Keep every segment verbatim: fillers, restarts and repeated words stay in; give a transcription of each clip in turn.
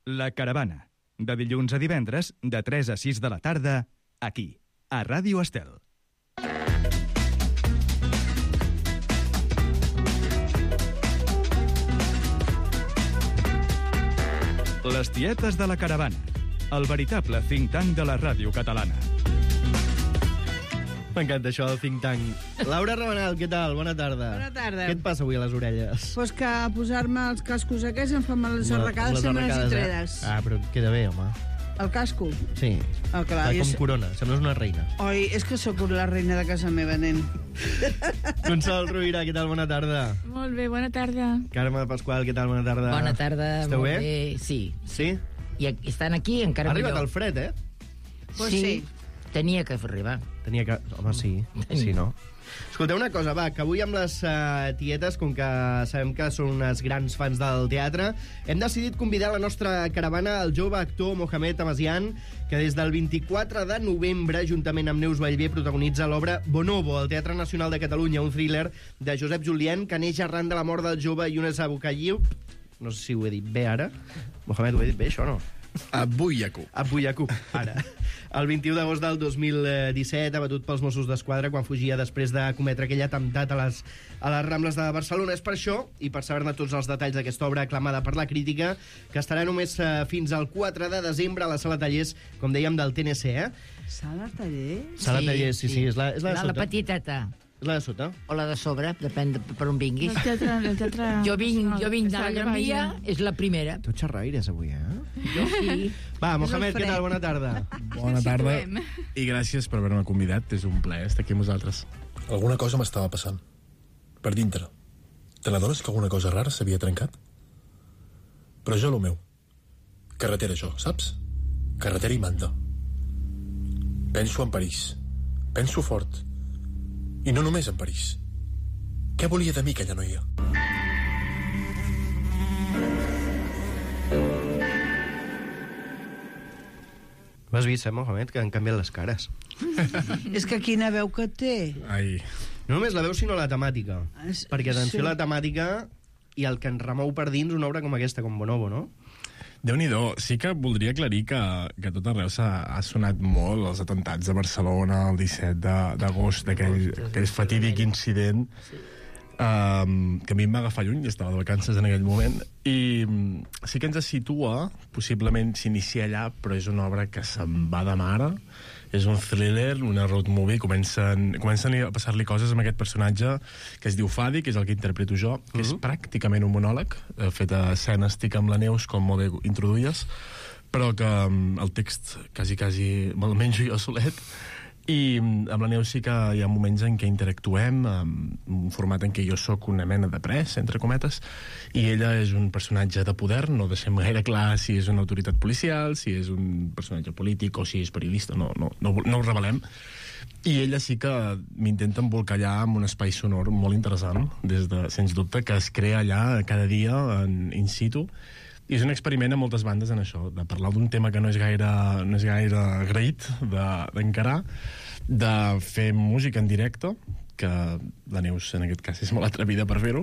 La Caravana, de dilluns a divendres, de tres a sis de la tarda, aquí, a Ràdio Estel. Les tietes de la Caravana, el veritable think tank de la ràdio catalana. M'encanta això del think tank. Laura Rabanal, què tal? Bona tarda. Bona tarda. Què et passa avui a les orelles? Pues que a posar-me els cascos aquests em fan les arracades sempre les tredes. Eh? Ah, però queda bé, home. El casco? Sí. Oh, clar, Està com és... corona, sembles una reina. Oi, és que sóc la reina de casa meva, nen. Consol Rovira, què tal? Bona tarda. Molt bé, bona tarda. Carme Pasqual, què tal? Bona tarda. Bona tarda. Esteu molt bé? bé? Sí. Sí? I estan aquí encara Ha arribat millor. el fred, eh? Pues sí. sí. Tenia que arribar. Tenia que... Home, sí. Sí, no? Escolteu una cosa, va, que avui amb les uh, tietes, com que sabem que són unes grans fans del teatre, hem decidit convidar a la nostra caravana el jove actor Mohamed Amasian, que des del vint-i-quatre de novembre, juntament amb Neus Vallvé, protagonitza l'obra Bonobo, al Teatre Nacional de Catalunya, un thriller de Josep Julien que neix arran de la mort del jove Younes Aboukayyib. No sé si ho he dit bé ara. Mohamed, ho he dit bé, això, no? Abu Yaqub. Abu Yaqub, ara. El vint-i-u d'agost del dos mil disset, abatut pels Mossos d'Esquadra quan fugia després de cometre aquell atemptat a les, a les Rambles de Barcelona. És per això, i per saber-ne tots els detalls d'aquesta obra aclamada per la crítica, que estarà només eh, fins al quatre de desembre a la Sala Tallers, com dèiem, del T N C, eh? Sala Tallers? Sala sí, Tallers, sí, sí, sí, és la, és la de la, sota. La petiteta. És la de sota. O la de sobre, depèn de per on vinguis. El teatre, el teatre... Jo vinc, jo vinc de la Està Gran Via, allà. és la primera. Tu xerraires avui, eh? Jo sí. Va, Mohamed, què tal? Bona tarda. Bona tarda. I gràcies per haver-me convidat. És un plaer estar aquí amb vosaltres. Alguna cosa m'estava passant. Per dintre. Te n'adones que alguna cosa rara s'havia trencat? Però jo, lo meu. Carretera, jo, saps? Carretera i manda. Penso en París. Penso fort. I no només en París. Què volia de mi aquella noia? Ho has vist, eh, Mohamed, que han canviat les cares. És que quina veu que té. Ai. No només la veu, sinó la temàtica. Es- Perquè, atenció, sí. la temàtica i el que ens remou per dins una obra com aquesta, com Bonobo, no? Déu-n'hi-do. Sí que voldria aclarir que, que tot arreu s'ha ha sonat molt els atemptats de Barcelona el disset d'agost, d'aquell aquell fatídic incident um, que a mi em va agafar lluny, estava de vacances en aquell moment, i um, sí que ens situa, possiblement s'inicia allà, però és una obra que se'n va de mare, és un thriller, una road movie, comencen, comencen a passar-li coses amb aquest personatge que es diu Fadi, que és el que interpreto jo, que és pràcticament un monòleg, eh, fet a escena estic amb la Neus, com molt bé introduïes, però que um, el text quasi, quasi me'l menjo jo solet, i amb la Neus sí que hi ha moments en què interactuem, en un format en què jo sóc una mena de pres, entre cometes, i ella és un personatge de poder, no deixem gaire clar si és una autoritat policial, si és un personatge polític o si és periodista, no, no, no, no ho revelem. I ella sí que m'intenta embolcallar amb un espai sonor molt interessant, des de, sens dubte, que es crea allà cada dia en in situ. I és un experiment a moltes bandes en això, de parlar d'un tema que no és gaire, no és gaire agraït d'encarar, de, de fer música en directe, que la Neus en aquest cas és molt atrevida per fer-ho,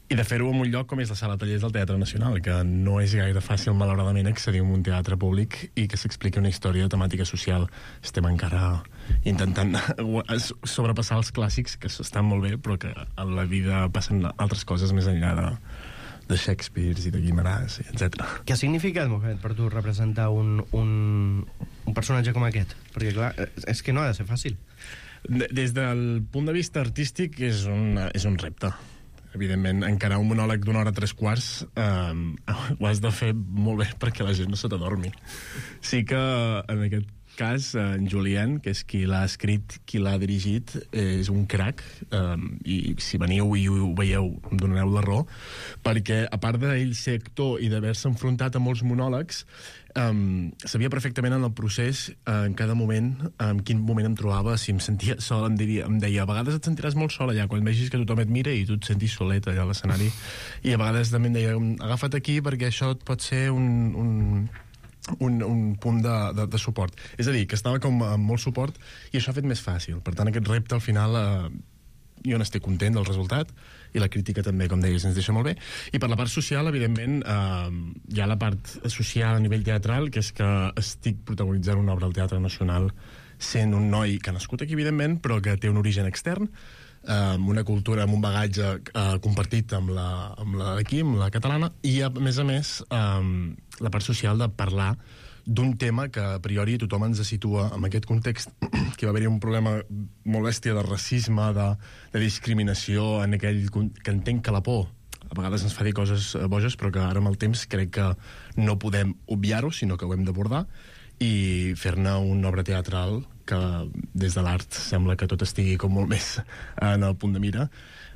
i de fer-ho en un lloc com és la Sala Tallers del Teatre Nacional, que no és gaire fàcil, malauradament, accedir a un teatre públic i que s'expliqui una història de temàtica social. Estem encara intentant sobrepassar els clàssics, que estan molt bé, però que a la vida passen altres coses més enllà de de Shakespeare i de Guimarães, etcètera. Què ha significat, Mohamed, per tu representar un, un, un personatge com aquest? Perquè, clar, és que no ha de ser fàcil. Des del punt de vista artístic és un, és un repte. Evidentment, encarar un monòleg d'una hora tres quarts eh, ho has de fer molt bé perquè la gent no se t'adormi. Sí que en aquest cas, en Julien, que és qui l'ha escrit, qui l'ha dirigit, és un crac, eh, i si veniu i ho veieu, em donareu la raó, perquè a part d'ell ser actor i d'haver-se enfrontat a molts monòlegs, um, sabia perfectament en el procés, uh, en cada moment, en quin moment em trobava, si em sentia sol, em, diria, em deia, a vegades et sentiràs molt sol allà, quan vegis que tothom et mira i tu et sentis solet allà a l'escenari, i a vegades també em deia, agafa't aquí perquè això et pot ser un... un Un, un punt de, de, de suport. És a dir, que estava com amb molt suport i això ha fet més fàcil. Per tant, aquest repte al final eh, jo n'estic content del resultat, i la crítica també, com deies, ens deixa molt bé. I per la part social, evidentment, eh, hi ha la part social a nivell teatral, que és que estic protagonitzant una obra al Teatre Nacional sent un noi que ha nascut aquí, evidentment, però que té un origen extern, eh, amb una cultura, amb un bagatge eh, compartit amb la, amb la d'aquí, amb la catalana, i a més a més eh, la part social de parlar d'un tema que a priori tothom ens situa en aquest context, que va haver-hi un problema molt bèstia de racisme, de, de discriminació, en aquell que entenc que la por a vegades ens fa dir coses boges, però que ara amb el temps crec que no podem obviar-ho, sinó que ho hem d'abordar i fer-ne una obra teatral que des de l'art sembla que tot estigui com molt més en el punt de mira.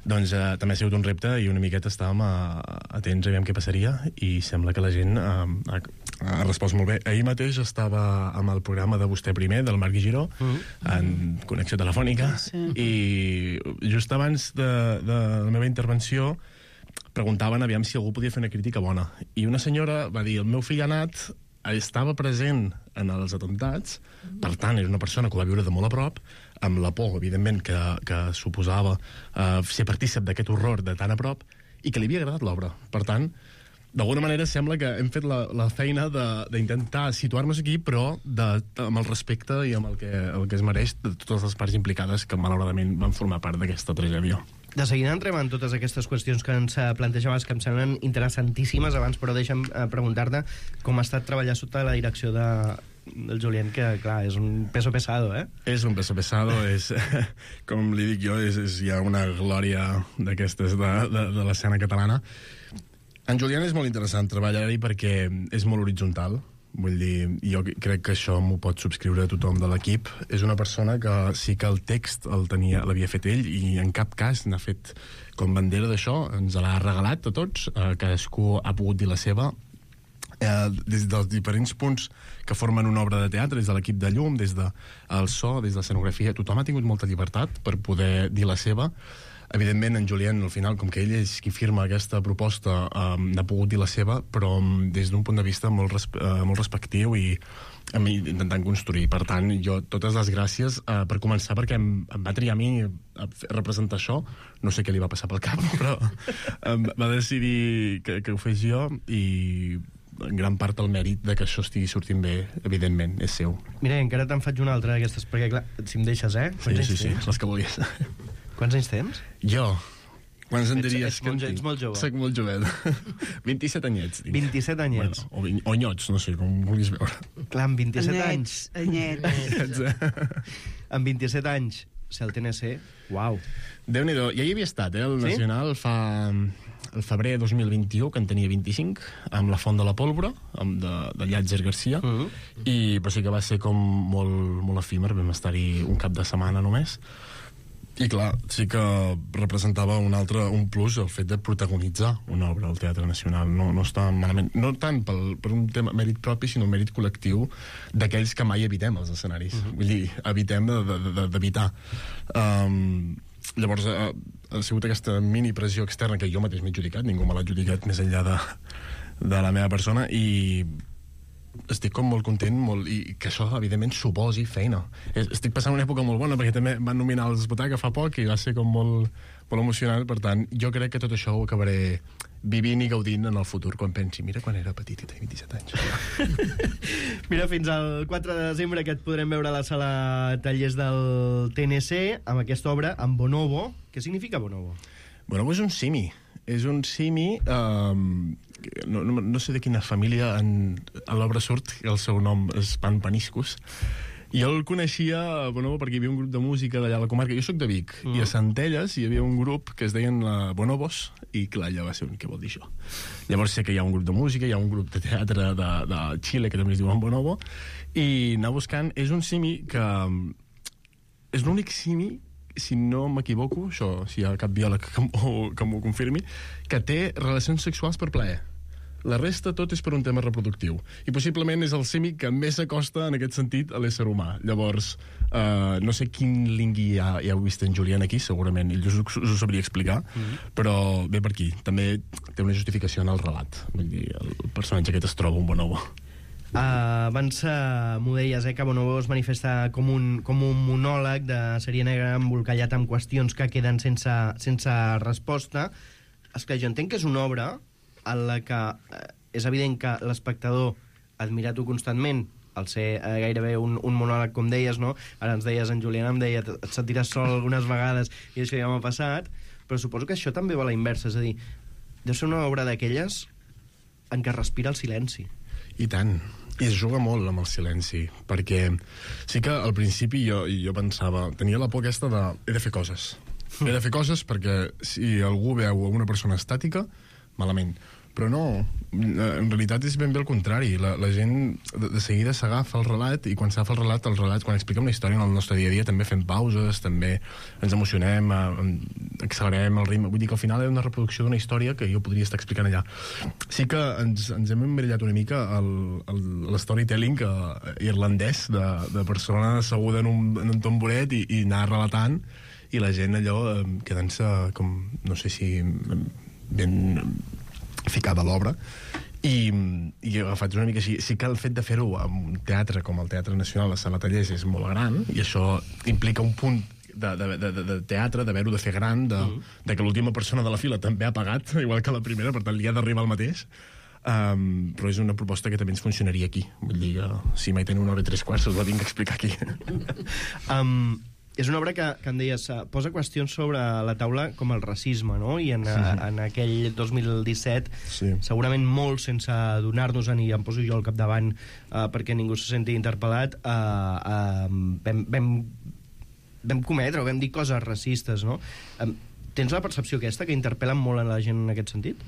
Doncs eh, també ha sigut un repte i una miqueta estàvem a, atents a veure què passaria i sembla que la gent eh, ha, ha respost molt bé. Ahir mateix estava amb el programa de Vostè Primer, del Marc Giró, uh -huh. en connexió telefònica, sí. I just abans de, de la meva intervenció preguntaven aviam si algú podia fer una crítica bona. I una senyora va dir, el meu fill ha anat, estava present en els atemptats, per tant, era una persona que ho va viure de molt a prop, amb la por, evidentment, que, que suposava eh, ser partícip d'aquest horror de tan a prop, i que li havia agradat l'obra. Per tant, d'alguna manera sembla que hem fet la, la feina d'intentar situar-nos aquí, però de, amb el respecte i amb el que, el que es mereix de totes les parts implicades que malauradament van formar part d'aquesta tragèdia. De seguida entrem en totes aquestes qüestions que ens plantejaves, que em semblen interessantíssimes abans, però deixa'm preguntar-te com ha estat treballar sota la direcció de, del Julien, que, clar, és un peso pesado, eh? És un peso pesado, és, com li dic jo, és, és ja una glòria d'aquestes de, de, de l'escena catalana. En Julien és molt interessant treballar-hi perquè és molt horitzontal. Vull dir, jo crec que això m'ho pot subscriure tothom de l'equip. És una persona que sí que el text el tenia, l'havia fet ell i en cap cas n'ha fet com bandera d'això, ens l'ha regalat a tots, eh, cadascú ha pogut dir la seva, eh, des dels diferents punts que formen una obra de teatre, des de l'equip de llum, des del de so, des de l'escenografia, tothom ha tingut molta llibertat per poder dir la seva. Evidentment, en Julien, al final, com que ell és qui firma aquesta proposta, eh, n'ha pogut dir la seva, però des d'un punt de vista molt, respe eh, molt respectiu i a mi, intentant construir. Per tant, jo, totes les gràcies, eh, per començar, perquè em, em va triar a mi a representar això. No sé què li va passar pel cap, però em va decidir que, que ho fes jo i en gran part el mèrit de que això estigui sortint bé, evidentment, és seu. Mira, encara te'n faig una altra d'aquestes, perquè, clar, si em deixes, eh? Sí, sí, sí, les que vulguis. Quants anys tens? Jo? Quants en diries ets, ets que en tinc? Ets molt jove. Soc molt jovet. vint-i-set anyets. Tinc. vint-i-set anyets. Bueno, o, o nyots, no sé, com vulguis veure. Clar, amb vint-i-set anys... Anyets, anyets. Amb vint-i-set anys, ser el T N C, uau. Déu-n'hi-do. Ja hi havia estat, eh, el sí? Nacional, fa... el febrer dos mil vint-i-u, que en tenia vint-i-cinc, amb La Font de la Pólvora, amb de, de Llàtzer Garcia, uh -huh. i però sí que va ser com molt, molt efímer, vam estar-hi un cap de setmana només. I clar, sí que representava un altre, un plus el fet de protagonitzar una obra al Teatre Nacional. No, no està malament, no tant pel, per un tema mèrit propi, sinó un mèrit col·lectiu d'aquells que mai evitem els escenaris. Uh-huh. Vull dir, evitem d'evitar. De, de, um, llavors, ha, ha sigut aquesta mini pressió externa que jo mateix m'he adjudicat, ningú me l'ha adjudicat més enllà de, de la meva persona, i estic com molt content molt, i que això, evidentment, suposi feina. Estic passant una època molt bona, perquè també van nominar els Butaca fa poc i va ser com molt, molt emocionant. Per tant, jo crec que tot això ho acabaré vivint i gaudint en el futur, quan pensi, mira quan era petit i tenia vint-i-set anys. Mira, fins al quatre de desembre que et podrem veure a la sala Tallers del T N C amb aquesta obra, amb Bonobo. Què significa Bonobo? Bonobo és un simi. És un simi... Um, no, no, no sé de quina família en, a l'obra surt, el seu nom és Pan Paniscus. Jo el coneixia, Bonobo, perquè hi havia un grup de música d'allà a la comarca. Jo sóc de Vic, mm. i a Centelles hi havia un grup que es deien uh, Bonobos, i clar, allà va ser un què vol dir això. Llavors sé que hi ha un grup de música, hi ha un grup de teatre de, de Xile, que també es diuen Bonobo, i anar buscant, és un simi que... És l'únic simi, si no m'equivoco, això, si hi ha cap biòleg que m'ho confirmi, que té relacions sexuals per plaer. La resta tot és per un tema reproductiu. I possiblement és el simi que més s'acosta en aquest sentit a l'ésser humà. Llavors, eh, no sé quin lingui ja, ja heu vist en Julien aquí, segurament ell us, us ho sabria explicar, mm-hmm. però ve per aquí. També té una justificació en el relat. Vull dir, el personatge aquest es troba un bonobo. Uh, abans uh, m'ho deies, eh, que Bonobo es manifesta com un, com un monòleg de sèrie negra embolcallat amb qüestions que queden sense, sense resposta. És que jo entenc que és una obra en la que uh, és evident que l'espectador admira-t'ho constantment al ser uh, gairebé un, un monòleg, com deies, no? Ara ens deies, en Julián em deia, et sentiràs sol algunes vegades i això ja m'ha passat, però suposo que això també va a la inversa, és a dir, deu ser una obra d'aquelles en què respira el silenci. I tant. I es juga molt amb el silenci, perquè sí que al principi jo, jo pensava, tenia la por aquesta de he de fer coses. He de fer coses perquè si algú veu una persona estàtica, malament. Però no, en realitat és ben bé el contrari. La, la gent de, de seguida s'agafa el relat, i quan s'agafa el relat, el relat, quan expliquem la història en el nostre dia a dia, també fem pauses, també ens emocionem, eh, accelerem el ritme. Vull dir que al final és una reproducció d'una història que jo podria estar explicant allà. Sí que ens, ens hem emmirallat una mica l'storytelling eh, irlandès de, de persona asseguda en un, en un tamboret i, i anar relatant, i la gent allò eh, quedant-se com, no sé si ben ficada a l'obra, i, i agafat una mica així. Sí que el fet de fer-ho en un teatre com el Teatre Nacional de Sala Tallers és molt gran, i això implica un punt de, de, de, de teatre, d'haver-ho de fer gran, de, mm. de que l'última persona de la fila també ha pagat, igual que la primera, per tant li ha d'arribar el mateix. Um, però és una proposta que també ens funcionaria aquí. Vull dir que si mai teniu una hora i tres quarts us la vinc a explicar aquí. um, És una obra que, que em deies, posa qüestions sobre la taula com el racisme, no? I en, sí. a, en aquell dos mil disset, sí. segurament molt sense adonar-nos-en, i em poso jo al capdavant uh, perquè ningú se senti interpel·lat, uh, uh, vam, vam, vam cometre o vam dir coses racistes, no? Um, tens la percepció aquesta, que interpel·len molt a la gent en aquest sentit?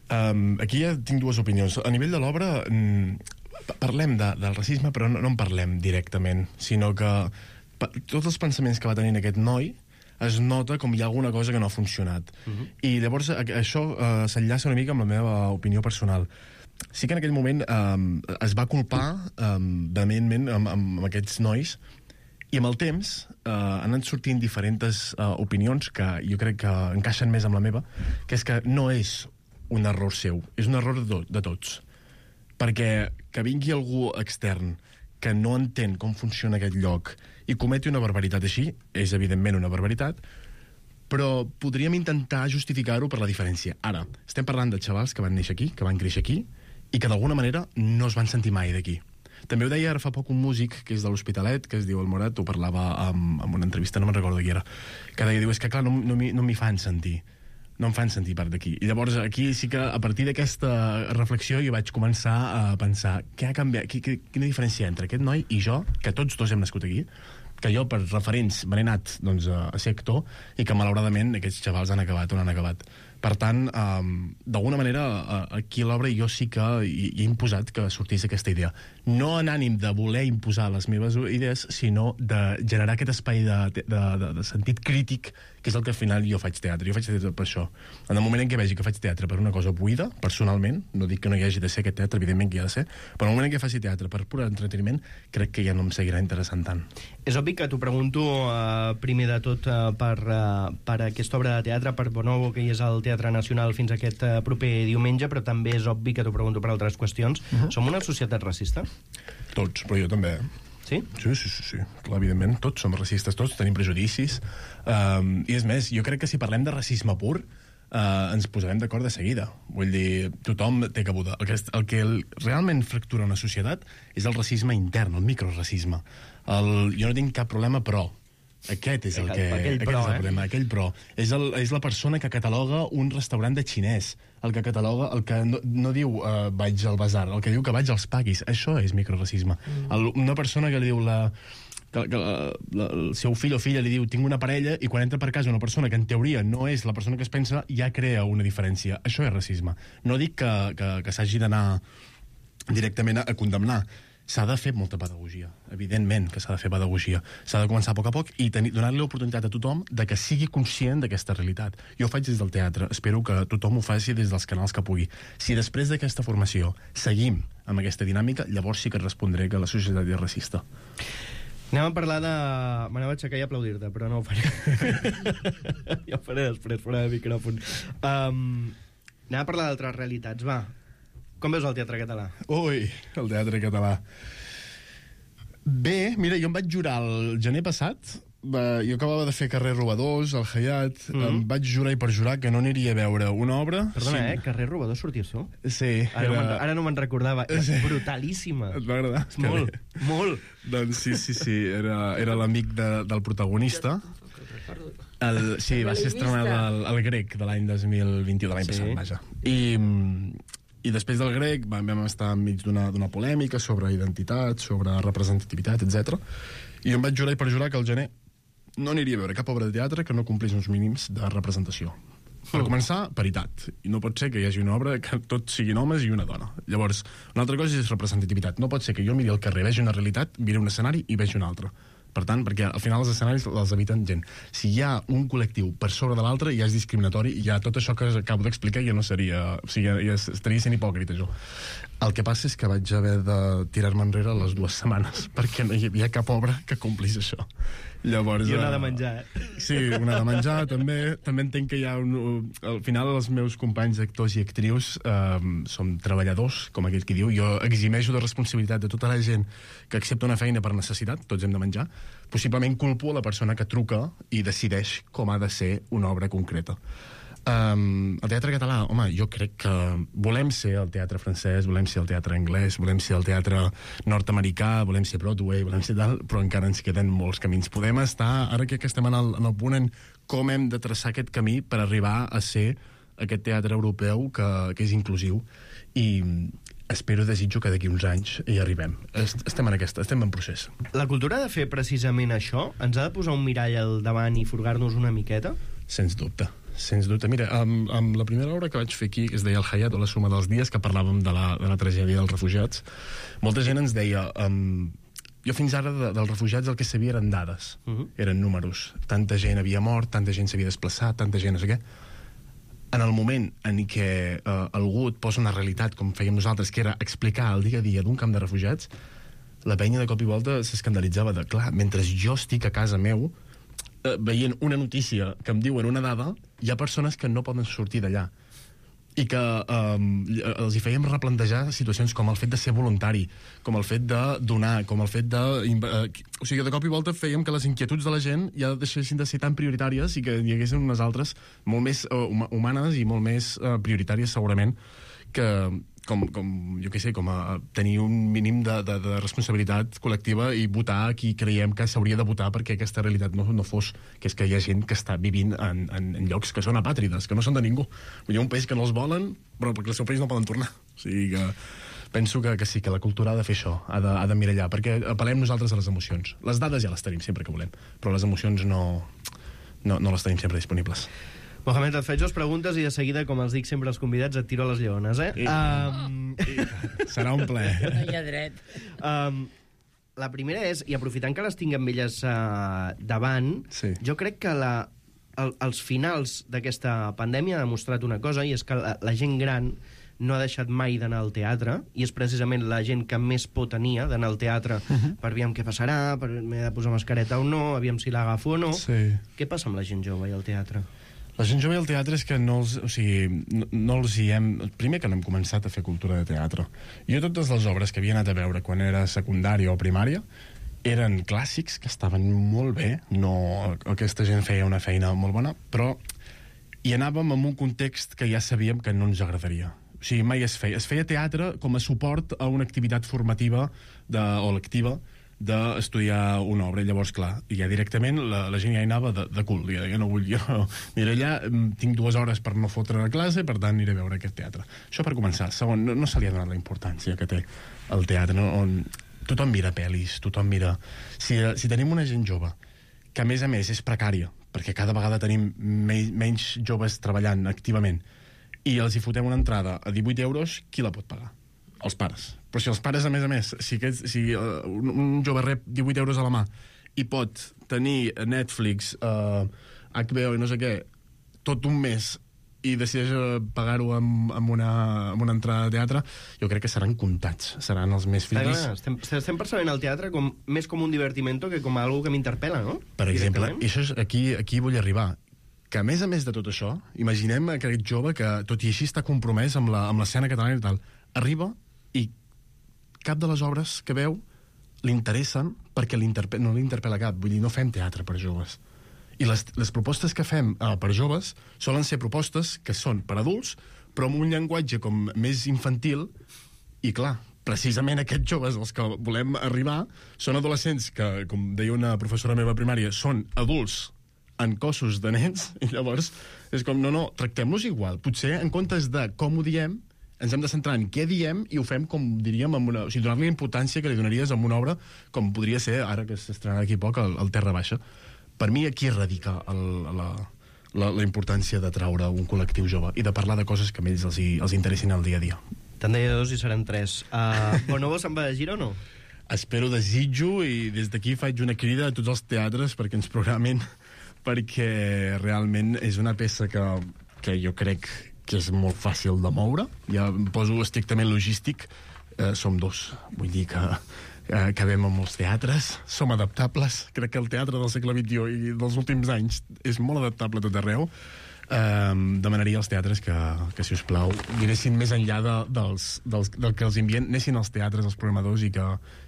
Um, aquí ja tinc dues opinions. A nivell de l'obra, mm, parlem de, del racisme, però no, no en parlem directament, sinó que tots els pensaments que va tenir aquest noi es nota com hi ha alguna cosa que no ha funcionat. Uh-huh. I llavors això uh, s'enllaça una mica amb la meva opinió personal. Sí que en aquell moment um, es va culpar um, vehementment amb, amb aquests nois, i amb el temps uh, han anat sortint diferents uh, opinions que jo crec que encaixen més amb la meva, que és que no és un error seu, és un error de, to de tots. Perquè que vingui algú extern que no entén com funciona aquest lloc i cometi una barbaritat així, és evidentment una barbaritat, però podríem intentar justificar-ho per la diferència. Ara, estem parlant de xavals que van néixer aquí, que van créixer aquí, i que d'alguna manera no es van sentir mai d'aquí. També ho deia ara fa poc un músic que és de l'Hospitalet, que es diu El Morat, ho parlava amb, amb una entrevista, no me'n recordo qui era, que deia, diu, és que clar, no, no m'hi fan sentir. no em fan sentir part d'aquí. I llavors aquí sí que a partir d'aquesta reflexió jo vaig començar a pensar què ha canviat, quina diferència entre aquest noi i jo, que tots dos hem nascut aquí, que jo per referents me n'he anat doncs, a ser actor, i que malauradament aquests xavals han acabat on han acabat. Per tant, um, d'alguna manera, aquí a l'obra jo sí que hi, hi he imposat que sortís aquesta idea. No en ànim de voler imposar les meves idees, sinó de generar aquest espai de, de, de, de sentit crític, que és el que al final jo faig teatre. Jo faig teatre per això. En el moment en què vegi que faig teatre per una cosa buida, personalment, no dic que no hi hagi de ser aquest teatre, evidentment que hi ha de ser, però en el moment en què faci teatre per pur entreteniment, crec que ja no em seguirà interessant tant. És obvi que t'ho pregunto uh, primer de tot uh, per, uh, per aquesta obra de teatre, per Bonobo, que hi és al Teatre Nacional fins aquest uh, proper diumenge, però també és obvi que t'ho pregunto per altres qüestions. Uh-huh. Som una societat racista? Tots, però jo també. Sí? Sí, sí, sí, sí. Clar, evidentment, tots som racistes, tots tenim prejudicis. Um, I és més, jo crec que si parlem de racisme pur, uh, ens posarem d'acord de seguida. Vull dir, tothom té cabuda. El que, el que realment fractura una societat és el racisme intern, el microracisme. El, jo no tinc cap problema, però... Aquest és el, que, aquell aquest pro, és el eh? problema, aquell pro. És, el, és la persona que cataloga un restaurant de xinès, el que cataloga, el que no, no diu uh, vaig al basar, el que diu que vaig als paquis. Això és microracisme. Mm. El, una persona que li diu la, que, que la, la, el seu fill o filla li diu tinc una parella, i quan entra per casa una persona que en teoria no és la persona que es pensa, ja crea una diferència. Això és racisme. No dic que, que, que s'hagi d'anar directament a, a condemnar. S'ha de fer molta pedagogia, evidentment que s'ha de fer pedagogia. S'ha de començar a poc a poc i donar-li l'oportunitat a tothom de que sigui conscient d'aquesta realitat. Jo ho faig des del teatre, espero que tothom ho faci des dels canals que pugui. Si després d'aquesta formació seguim amb aquesta dinàmica, llavors sí que respondré que la societat és racista. Anem a parlar de... M'anava a aixecar i aplaudir-te, però no ho faré. Ja ho faré després, fora de micròfon. Um, anem a parlar d'altres realitats, va. Com veus el teatre català? Ui, el teatre català. Bé, mira, jo em vaig jurar el gener passat, va, jo acabava de fer Carrer Robadors, al Hayat, mm -hmm. em vaig jurar i perjurar que no aniria a veure una obra... Perdona, sí. eh? Carrer Robadors sorties tu? Sí. Ara, era... no ara no me'n recordava. És sí. brutalíssima. Et va agradar? Molt, molt. Doncs sí, sí, sí, era, era l'amic de, del protagonista. El, sí, va ser estrenat el, el Grec de l'any dos mil vint-i-u, de l'any sí. passat, vaja. I... I després del Grec vam estar enmig d'una polèmica sobre identitat, sobre representativitat, etcètera. I jo em vaig jurar i perjurar que al gener no aniria a veure cap obra de teatre que no complís uns mínims de representació. Per començar, paritat. I no pot ser que hi hagi una obra que tots siguin homes i una dona. Llavors, una altra cosa és representativitat. No pot ser que jo miri al carrer, vegi una realitat, miri un escenari i vegi una altra. Per tant, perquè al final els escenaris els habiten gent. Si hi ha un col·lectiu per sobre de l'altre, ja és discriminatori, i ja tot això que acabo d'explicar ja no seria... O sigui, ja estaria sent hipòcrita, jo. El que passa és que vaig haver de tirar-me enrere les dues setmanes, perquè no hi havia cap obra que complís això. Llavors, I una de menjar, eh? Sí, una de menjar, també. També entenc que hi ha un... Al final, els meus companys actors i actrius eh, som treballadors, com aquell qui diu. Jo eximeixo de responsabilitat de tota la gent que accepta una feina per necessitat, tots hem de menjar. Possiblement culpo a la persona que truca i decideix com ha de ser una obra concreta. Um, el teatre català, home, jo crec que volem ser el teatre francès, volem ser el teatre anglès, volem ser el teatre nord-americà, volem ser Broadway, volem ser tal, però encara ens queden molts camins. Podem estar, ara que estem en el, en el punt en com hem de traçar aquest camí per arribar a ser aquest teatre europeu que, que és inclusiu, i espero, desitjo que d'aquí uns anys hi arribem. Estem en aquesta, estem en procés. La cultura ha de fer precisament això? Ens ha de posar un mirall al davant i furgar-nos una miqueta? Sens dubte. Sens dubte. Mira, amb, amb la primera obra que vaig fer aquí, que es deia El Hayat, o La suma dels dies, que parlàvem de la, de la tragèdia dels refugiats, molta gent ens deia... Um, jo fins ara de, dels refugiats el que sabia eren dades, uh -huh. eren números. Tanta gent havia mort, tanta gent s'havia desplaçat, tanta gent no sé què. En el moment en què uh, algú et posa una realitat, com fèiem nosaltres, que era explicar el dia a dia d'un camp de refugiats, la penya de cop i volta s'escandalitzava de, clar, mentre jo estic a casa meu, veient una notícia que em diuen una dada, hi ha persones que no poden sortir d'allà, i que um, els hi fèiem replantejar situacions com el fet de ser voluntari, com el fet de donar, com el fet de... Uh, o sigui, de cop i volta fèiem que les inquietuds de la gent ja deixessin de ser tan prioritàries i que hi haguessin unes altres molt més uh, humanes i molt més uh, prioritàries, segurament, que... Com, com, jo què sé, com a tenir un mínim de, de, de responsabilitat col·lectiva i votar qui creiem que s'hauria de votar perquè aquesta realitat no, no fos, que és que hi ha gent que està vivint en, en, en llocs que són apàtrides, que no són de ningú. Hi ha un país que no els volen, però perquè el seu país no poden tornar. O sigui que penso que, que sí, que la cultura ha de fer això, ha de, ha de mirallar, perquè apel·lem nosaltres a les emocions. Les dades ja les tenim sempre que volem, però les emocions no, no, no les tenim sempre disponibles. Mohamed, et faig dues preguntes i de seguida, com els dic sempre als convidats, et tiro a les lleones, eh? I, um... I, serà un plaer. No hi ha dret. Um, la primera és, i aprofitant que les tinc amb elles uh, davant, sí. jo crec que la, el, els finals d'aquesta pandèmia ha demostrat una cosa, i és que la, la gent gran no ha deixat mai d'anar al teatre, i és precisament la gent que més por tenia d'anar al teatre uh-huh. per aviam què passarà, per m'he de posar mascareta o no, aviam si l'agafo o no. Sí. Què passa amb la gent jove i al teatre? La gent jove al teatre és que no els, o sigui, no, no els hi hem... Primer que no hem començat a fer cultura de teatre. Jo totes les obres que havia anat a veure quan era secundària o primària eren clàssics que estaven molt bé, no, aquesta gent feia una feina molt bona, però hi anàvem en un context que ja sabíem que no ens agradaria. O sigui, mai es feia. Es feia teatre com a suport a una activitat formativa de, o lectiva d'estudiar una obra. Llavors, clar, ja directament la, la gent ja hi anava de, de cul. Ja, jo no vull, jo aniré allà, tinc dues hores per no fotre la classe, per tant aniré a veure aquest teatre. Això per començar. Segon, no, no se li ha donat la importància que té el teatre, no? On tothom mira pel·lis, tothom mira... Si, si tenim una gent jove, que a més a més és precària, perquè cada vegada tenim me, menys joves treballant activament, i els hi fotem una entrada a divuit euros, qui la pot pagar? Els pares. Però si els pares, a més a més, si, aquest, si uh, un, un jove rep divuit euros a la mà i pot tenir Netflix, uh, H B O i no sé què, tot un mes, i decideix pagar-ho amb, amb, una, amb una entrada de teatre, jo crec que seran comptats, seran els més fills. Estem, estem percebent el teatre com, més com un divertimento que com algo que m'interpel·la, no? Per exemple, i això és, aquí, aquí vull arribar, que a més a més de tot això, imaginem aquest jove que tot i així està compromès amb l'escena catalana i tal, arriba i cap de les obres que veu l'interessen perquè no l'interpel·la cap. Vull dir, no fem teatre per joves. I les, les propostes que fem eh, per joves solen ser propostes que són per adults, però amb un llenguatge com més infantil, i clar, precisament aquests joves als que volem arribar són adolescents que, com deia una professora meva primària, són adults en cossos de nens, i llavors és com, no, no, tractem-los igual. Potser, en comptes de com ho diem, ens hem de centrar en què diem i ho fem, com diríem, amb una, o sigui, donar-li la importància que li donaries a una obra com podria ser, ara que s'estrenarà aquí poc, el, el Terra Baixa. Per mi aquí radica el, la, la, la importància de traure un col·lectiu jove i de parlar de coses que a ells els, els interessin al dia a dia. Te'n deia dos i seran tres. Uh, Bonobo se'n va de gira o no? Espero, desitjo, i des d'aquí faig una crida a tots els teatres perquè ens programin, perquè realment és una peça que, que jo crec que és molt fàcil de moure. Ja em poso estrictament logístic. Eh, som dos. Vull dir que eh, acabem amb els teatres, som adaptables. Crec que el teatre del segle vint-i-u i dels últims anys és molt adaptable a tot arreu. Eh, demanaria als teatres que, que si us plau, miressin més enllà de, dels, dels, del que els envien, anessin als teatres, als programadors, i que,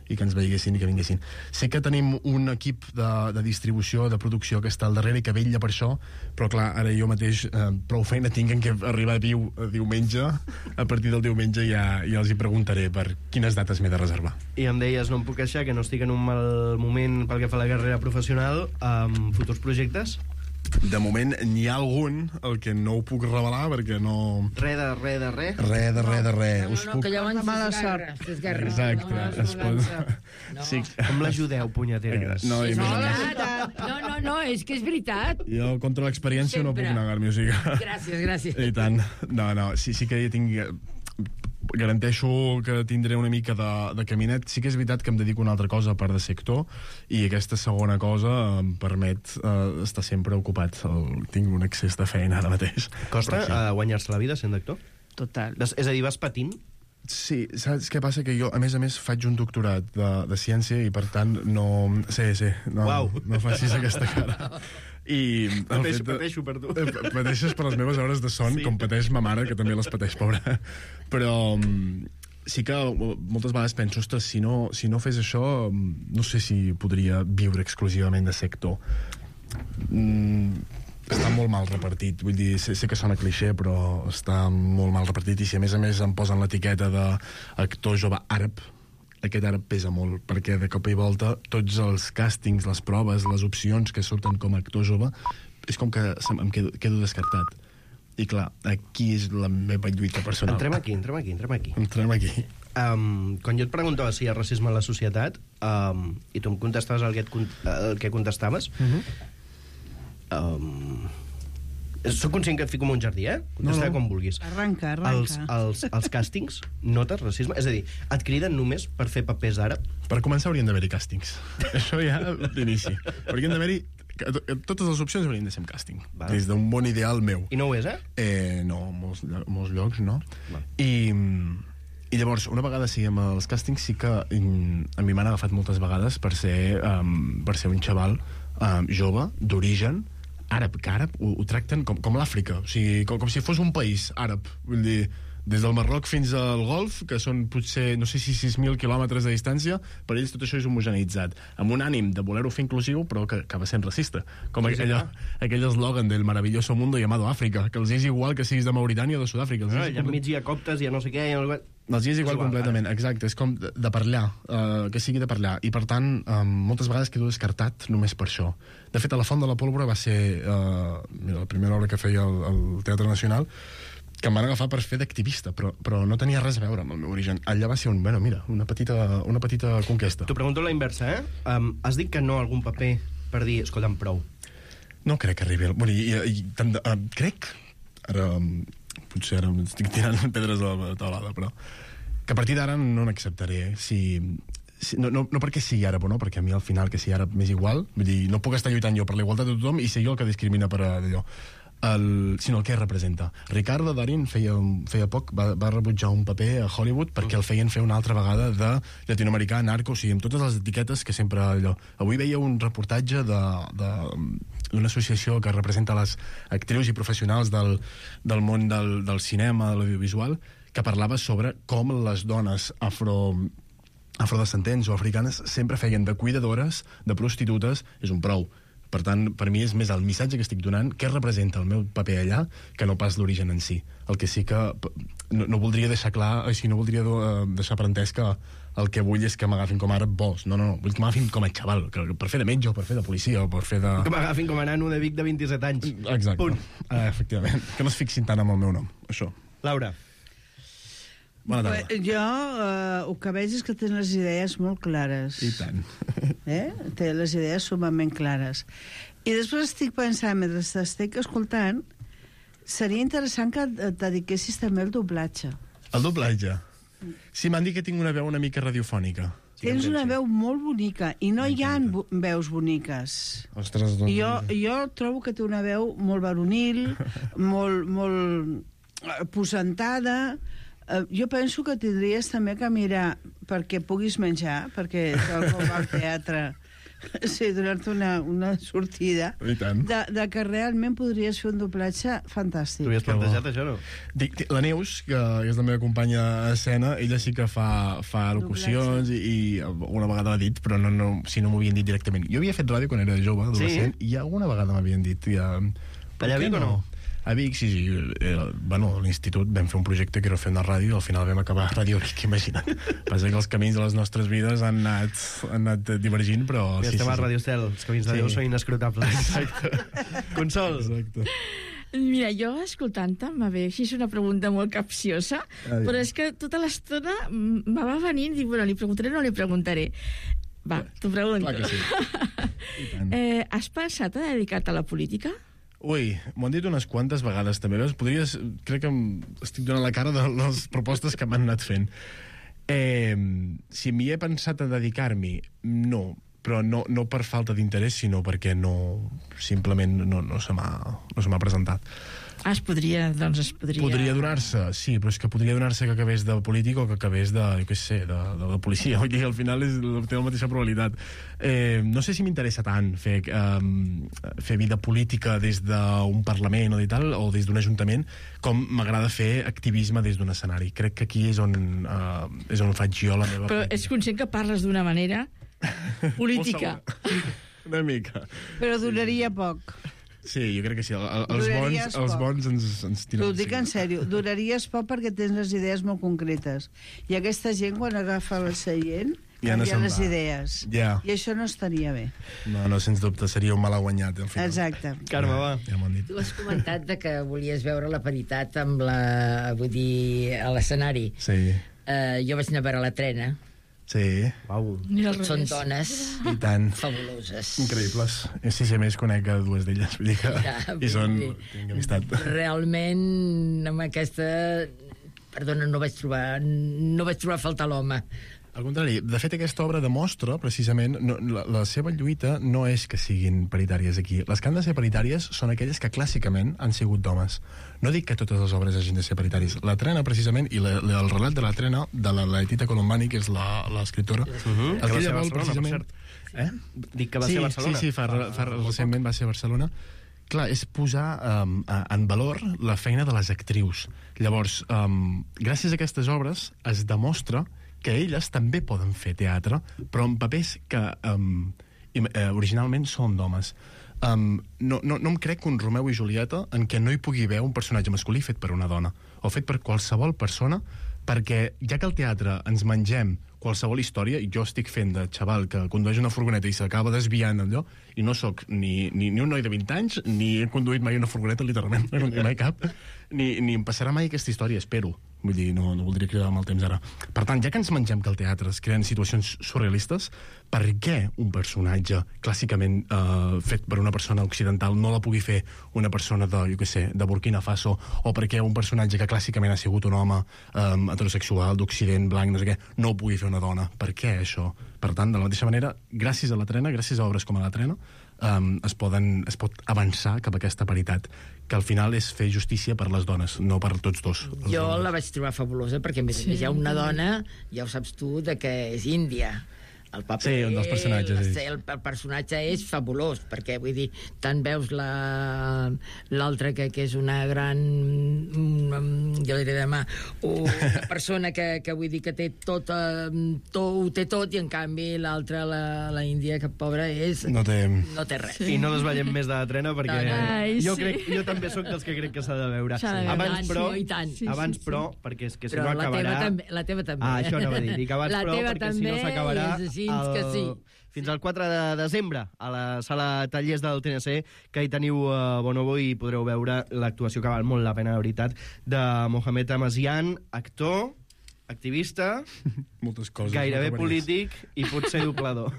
i que ens veiguessin i que vinguessin. Sé que tenim un equip de, de distribució, de producció que està al darrere i que vetlla per això, però clar, ara jo mateix eh, prou feina tinc en què arribar a diu, a diumenge, a partir del diumenge ja, ja els hi preguntaré per quines dates m'he de reservar. I em deies, no em puc queixar, que no estic en un mal moment pel que fa a la carrera professional, amb futurs projectes? De moment n'hi ha algun, el que no ho puc revelar perquè no... Re de re de re? Re de re de re. No, no, no, puc... que llavors mala s'esgarra, s'esgarra. Exacte. No, no, es pot... no. Sí. Com l'ajudeu, punyeteres? No, i No, més a més, no, no, no, és que és veritat. jo contra l'experiència no Sempre. puc negar-m'hi, o sigui... Gràcies, gràcies. I tant. No, no, sí, sí que tinc... Garanteixo que tindré una mica de, de caminet. Sí que és veritat que em dedico a una altra cosa a part de sector, i aquesta segona cosa em permet uh, estar sempre ocupat. El, tinc un excés de feina ara mateix. Costa sí. uh, guanyar-se la vida sent d'actor? Total. És a dir, vas patint? Sí, saps què passa? Que jo, a més a més, faig un doctorat de, de ciència i, per tant, no... Sí, sí, no, Uau. no facis aquesta cara. I Pateixo, de... pateixo per tu. Eh, Pateixes per les meves hores de son, sí. Com pateix ma mare, que també les pateix, pobra. Però sí que moltes vegades penso, ostres, si no, si no fes això, no sé si podria viure exclusivament de sector. Mm, està molt mal repartit. Vull dir, sé, sé que sona clixé, però està molt mal repartit. I si a més a més em posen l'etiqueta d'actor jove àrab, aquest ara pesa molt, perquè de cop i volta tots els càstings, les proves, les opcions que surten com a actor jove, és com que em quedo, quedo descartat. I clar, aquí és la meva lluita personal. Entrem aquí, entrem aquí, entrem aquí. Entrem aquí. Um, quan jo et preguntava si hi ha racisme a la societat, um, i tu em contestaves el que, et, el que contestaves, uh-huh. um, soc conscient que et fico en un jardí, eh? Contesta no, no. com vulguis. Arranca, arranca. Els, els, els càstings, notes racisme? És a dir, et criden només per fer papers àrab? Per començar haurien d'haver-hi càstings. Això ja d'inici. Haurien d'haver-hi... Totes les opcions haurien de ser en càsting. Val. Des d'un bon ideal meu. I no ho és, eh? Eh, no, molts, molts llocs no. Val. I... I llavors, una vegada sí, amb els càstings sí que um, a mi m'han agafat moltes vegades per ser, um, per ser un xaval um, jove, d'origen, àrab, que àrab ho, ho tracten com, com l'Àfrica, o sigui, com, com si fos un país àrab, vull dir, des del Marroc fins al Golf, que són potser, no sé si sis mil quilòmetres de distància, per ells tot això és homogeneïtzat, amb un ànim de voler-ho fer inclusiu, però que acaba sent racista, com sí, aquella, sí, aquell eslògan del maravilloso mundo llamado Àfrica, que els és igual que siguis de Mauritània o de Sud-àfrica. No, allà enmig hi ha coptes, hi ha no sé què... Hi ha... Els hi és igual, igual completament, ara. Exacte, és com de, de parlar, uh, que sigui de parlar, i per tant, um, moltes vegades quedo descartat només per això. De fet, a La Font de la Pólvora va ser uh, mira, la primera obra que feia al, al Teatre Nacional, que em van agafar per fer d'activista, però, però no tenia res a veure amb el meu origen. Allà va ser un, bueno, mira, una petita, una petita conquesta. T'ho pregunto la inversa, eh? Um, has dit que no a algun paper per dir, escolta'm, prou. No crec que arribi... Bueno, i, i, tant de, uh, crec... Ara... Um, potser ara estic tirant pedres a la taulada, però que a partir d'ara no n'acceptaré. Si, si, no, no, no perquè sigui àrab o no, perquè a mi al final que sigui àrab m'és igual, vull dir, no puc estar lluitant jo per la igualtat de tothom i ser jo el que discrimina per allò. El, sinó el que representa. Ricardo Darín feia, feia poc va, va rebutjar un paper a Hollywood perquè el feien fer una altra vegada de llatinoamericà, narco, o sigui, amb totes les etiquetes que sempre allò. Avui veia un reportatge de, de, d'una associació que representa les actrius i professionals del, del món del, del cinema, de l'audiovisual, que parlava sobre com les dones afro... afrodescendents o africanes sempre feien de cuidadores, de prostitutes, és un prou. Per tant, per mi és més el missatge que estic donant, què representa el meu paper allà, que no pas l'origen en si. El que sí que no, no voldria deixar clar, o sigui, no voldria uh, deixar per entès que el que vull és que m'agafin com a àrab bos. No, no, no, vull que m'agafin com a xaval, que per fer de metge o per fer de policia o per fer de... Que m'agafin com a nano de Vic de vint-i-set anys. Exacte. Punt. Uh, efectivament. Que no es fixin tant amb el meu nom, això. Laura. Bona tarda. Eh, Jo eh, el que veig és que tens les idees molt clares. I tant. Eh? Té les idees sumament clares. I després estic pensant, mentre t'estic escoltant, seria interessant que et dediquessis també al doblatge. El doblatge. Sí, m'han dit que tinc una veu una mica radiofònica. Tens una veu molt bonica, i no hi ha bo veus boniques. Ostres, doncs... Jo, jo trobo que té una veu molt varonil, molt, molt posentada. Uh, jo penso que tindries també que mirar perquè puguis menjar, perquè com al teatre, sí, donar-te una, una sortida, I tant. de, de que realment podries fer un doblatge fantàstic. Tu havies plantejat això, no? Dic, dic, la Neus, que és la meva companya a escena, ella sí que fa, fa locucions i, i una vegada l'ha dit, però no, no, si no m'ho havien dit directament. Jo havia fet ràdio quan era jove, adolescent, sí? I alguna vegada m'havien dit... Ja, allà a Vic o no? A Vic, sí, sí. Eh, bueno, a l'institut vam fer un projecte que era fer una ràdio i al final vam acabar a Ràdio Vic, imagina't. Passa que els camins de les nostres vides han anat, han anat divergint, però... I sí, estem sí, a sí. Ràdio Estel, els camins de Sí. Déu són inescrutables. Exacte. Consol. Exacte. Mira, jo escoltant-te m'ha ve així, és una pregunta molt capciosa, Ai. però és que tota l'estona m- me va venint i dic, bueno, li preguntaré o no li preguntaré. Va, t'ho pregunto. Clar que sí. I tant. eh, has pensat a dedicar-te a la política? Ui, m'ho han dit unes quantes vegades també. Veus? Podries, crec que em estic donant la cara de les propostes que m'han anat fent. Eh, si m'hi he pensat a dedicar-m'hi, no, però no, no per falta d'interès, sinó perquè no, simplement no, no se m'ha no se m'ha presentat. Ah, es podria, doncs es podria... Podria donar-se, sí, però és que podria donar-se que acabés de polític o que acabés de, jo què sé, de, de, de policia. Vull dir, al final és, té la mateixa probabilitat. Eh, no sé si m'interessa tant fer, eh, fer vida política des d'un Parlament o, tal, o des d'un Ajuntament, com m'agrada fer activisme des d'un escenari. Crec que aquí és on, eh, és on faig jo la meva... Però ets conscient que parles d'una manera política. Una mica. Però duraria poc. Sí, jo crec que sí. El, el, els, Duraries bons, els poc. bons ens, ens tiren... T'ho dic en sí. sèrio, duraries poc perquè tens les idees molt concretes. I aquesta gent, quan agafa el seient, Ja no canvia se'n les va. idees. Ja. I això no estaria bé. No, no, sens dubte, seria un mal guanyat. Al final. Exacte. Carme, va. Ja m'ho han dit. Tu has comentat de que volies veure la paritat amb la... vull dir, a l'escenari. Sí, Uh, jo vaig anar a veure la trena. sí. Uau. Mira al Tots són revés. dones I tant. fabuloses. Increïbles. Sí, sí, a més conec a dues d'elles, vull dir que... Ja, I són... vull dir- Tinc amistat. Realment, amb aquesta... Perdona, no vaig trobar, no vaig trobar a faltar l'home. Al contrari, de fet, aquesta obra demostra, precisament, no, la, la seva lluita no és que siguin paritàries aquí. Les que han de ser paritàries són aquelles que clàssicament han sigut d'homes. No dic que totes les obres hagin de ser paritàries. La Trena, precisament, i la, la, el relat de la Trena, de la Letita Colombani, que és la- l'escriptora, Uh -huh. Que va aquella ser a vol, Barcelona, precisament... per Eh? Dic que va sí, ser a Barcelona. Sí, sí, fa, fa, recentment va ser a Barcelona. Clar, és posar um, en valor la feina de les actrius. Llavors, um, gràcies a aquestes obres es demostra que elles també poden fer teatre, però en papers que um, eh, originalment són d'homes. Um, no, no, no em crec que un Romeu i Julieta en què no hi pugui haver un personatge masculí fet per una dona, o fet per qualsevol persona, perquè ja que al teatre ens mengem qualsevol història, i jo estic fent de xaval que condueix una furgoneta i s'acaba desviant allò, i no sóc ni, ni, ni un noi de vint anys, ni he conduït mai una furgoneta, literalment, no he conduït mai cap, ni, ni em passarà mai aquesta història, espero. Vull dir, no, no voldria cridar amb el temps ara. Per tant, ja que ens mengem que al teatre es creen situacions surrealistes, per què un personatge clàssicament eh, fet per una persona occidental no la pugui fer una persona de, jo què sé, de Burkina Faso, o per què un personatge que clàssicament ha sigut un home eh, heterosexual, d'Occident, blanc, no sé què, no ho pugui fer una dona? Per què això? Per tant, de la mateixa manera, gràcies a la Trena, gràcies a obres com a la Trena, um, es, poden, es pot avançar cap a aquesta paritat, que al final és fer justícia per les dones, no per tots dos. Jo dones. la vaig trobar fabulosa perquè, a més a més, hi ha una dona, ja ho saps tu, de que és índia. el paper... Sí, un dels personatges, la- sí. El, el personatge és fabulós, perquè, vull dir, tant veus la- l'altre que, que és una gran... Una, jo diré demà, una persona que, que vull dir que té tot, eh, tot, ho té tot, i en canvi l'altra, la, la Índia, que pobra és... No té... No té res. I no desvetllem més de la trena perquè No, no. Ai, jo, sí. crec, jo també sóc dels que crec que s'ha de veure. S'ha de veure. Abans, I tant, però, sí, i tant. Sí, abans, sí, sí. però, perquè és que si Però no la acabarà... teva també, la teva també. Ah, això anava a dir. Dic abans, La però, teva perquè si no també s'acabarà és així que sí. fins al quatre de desembre a la sala Tallers del T N C, que hi teniu uh, Bonobo i podreu veure l'actuació que val molt la pena, de veritat, de Mohamed Amazian, actor, activista, Moltes coses. gairebé no polític i potser doblador.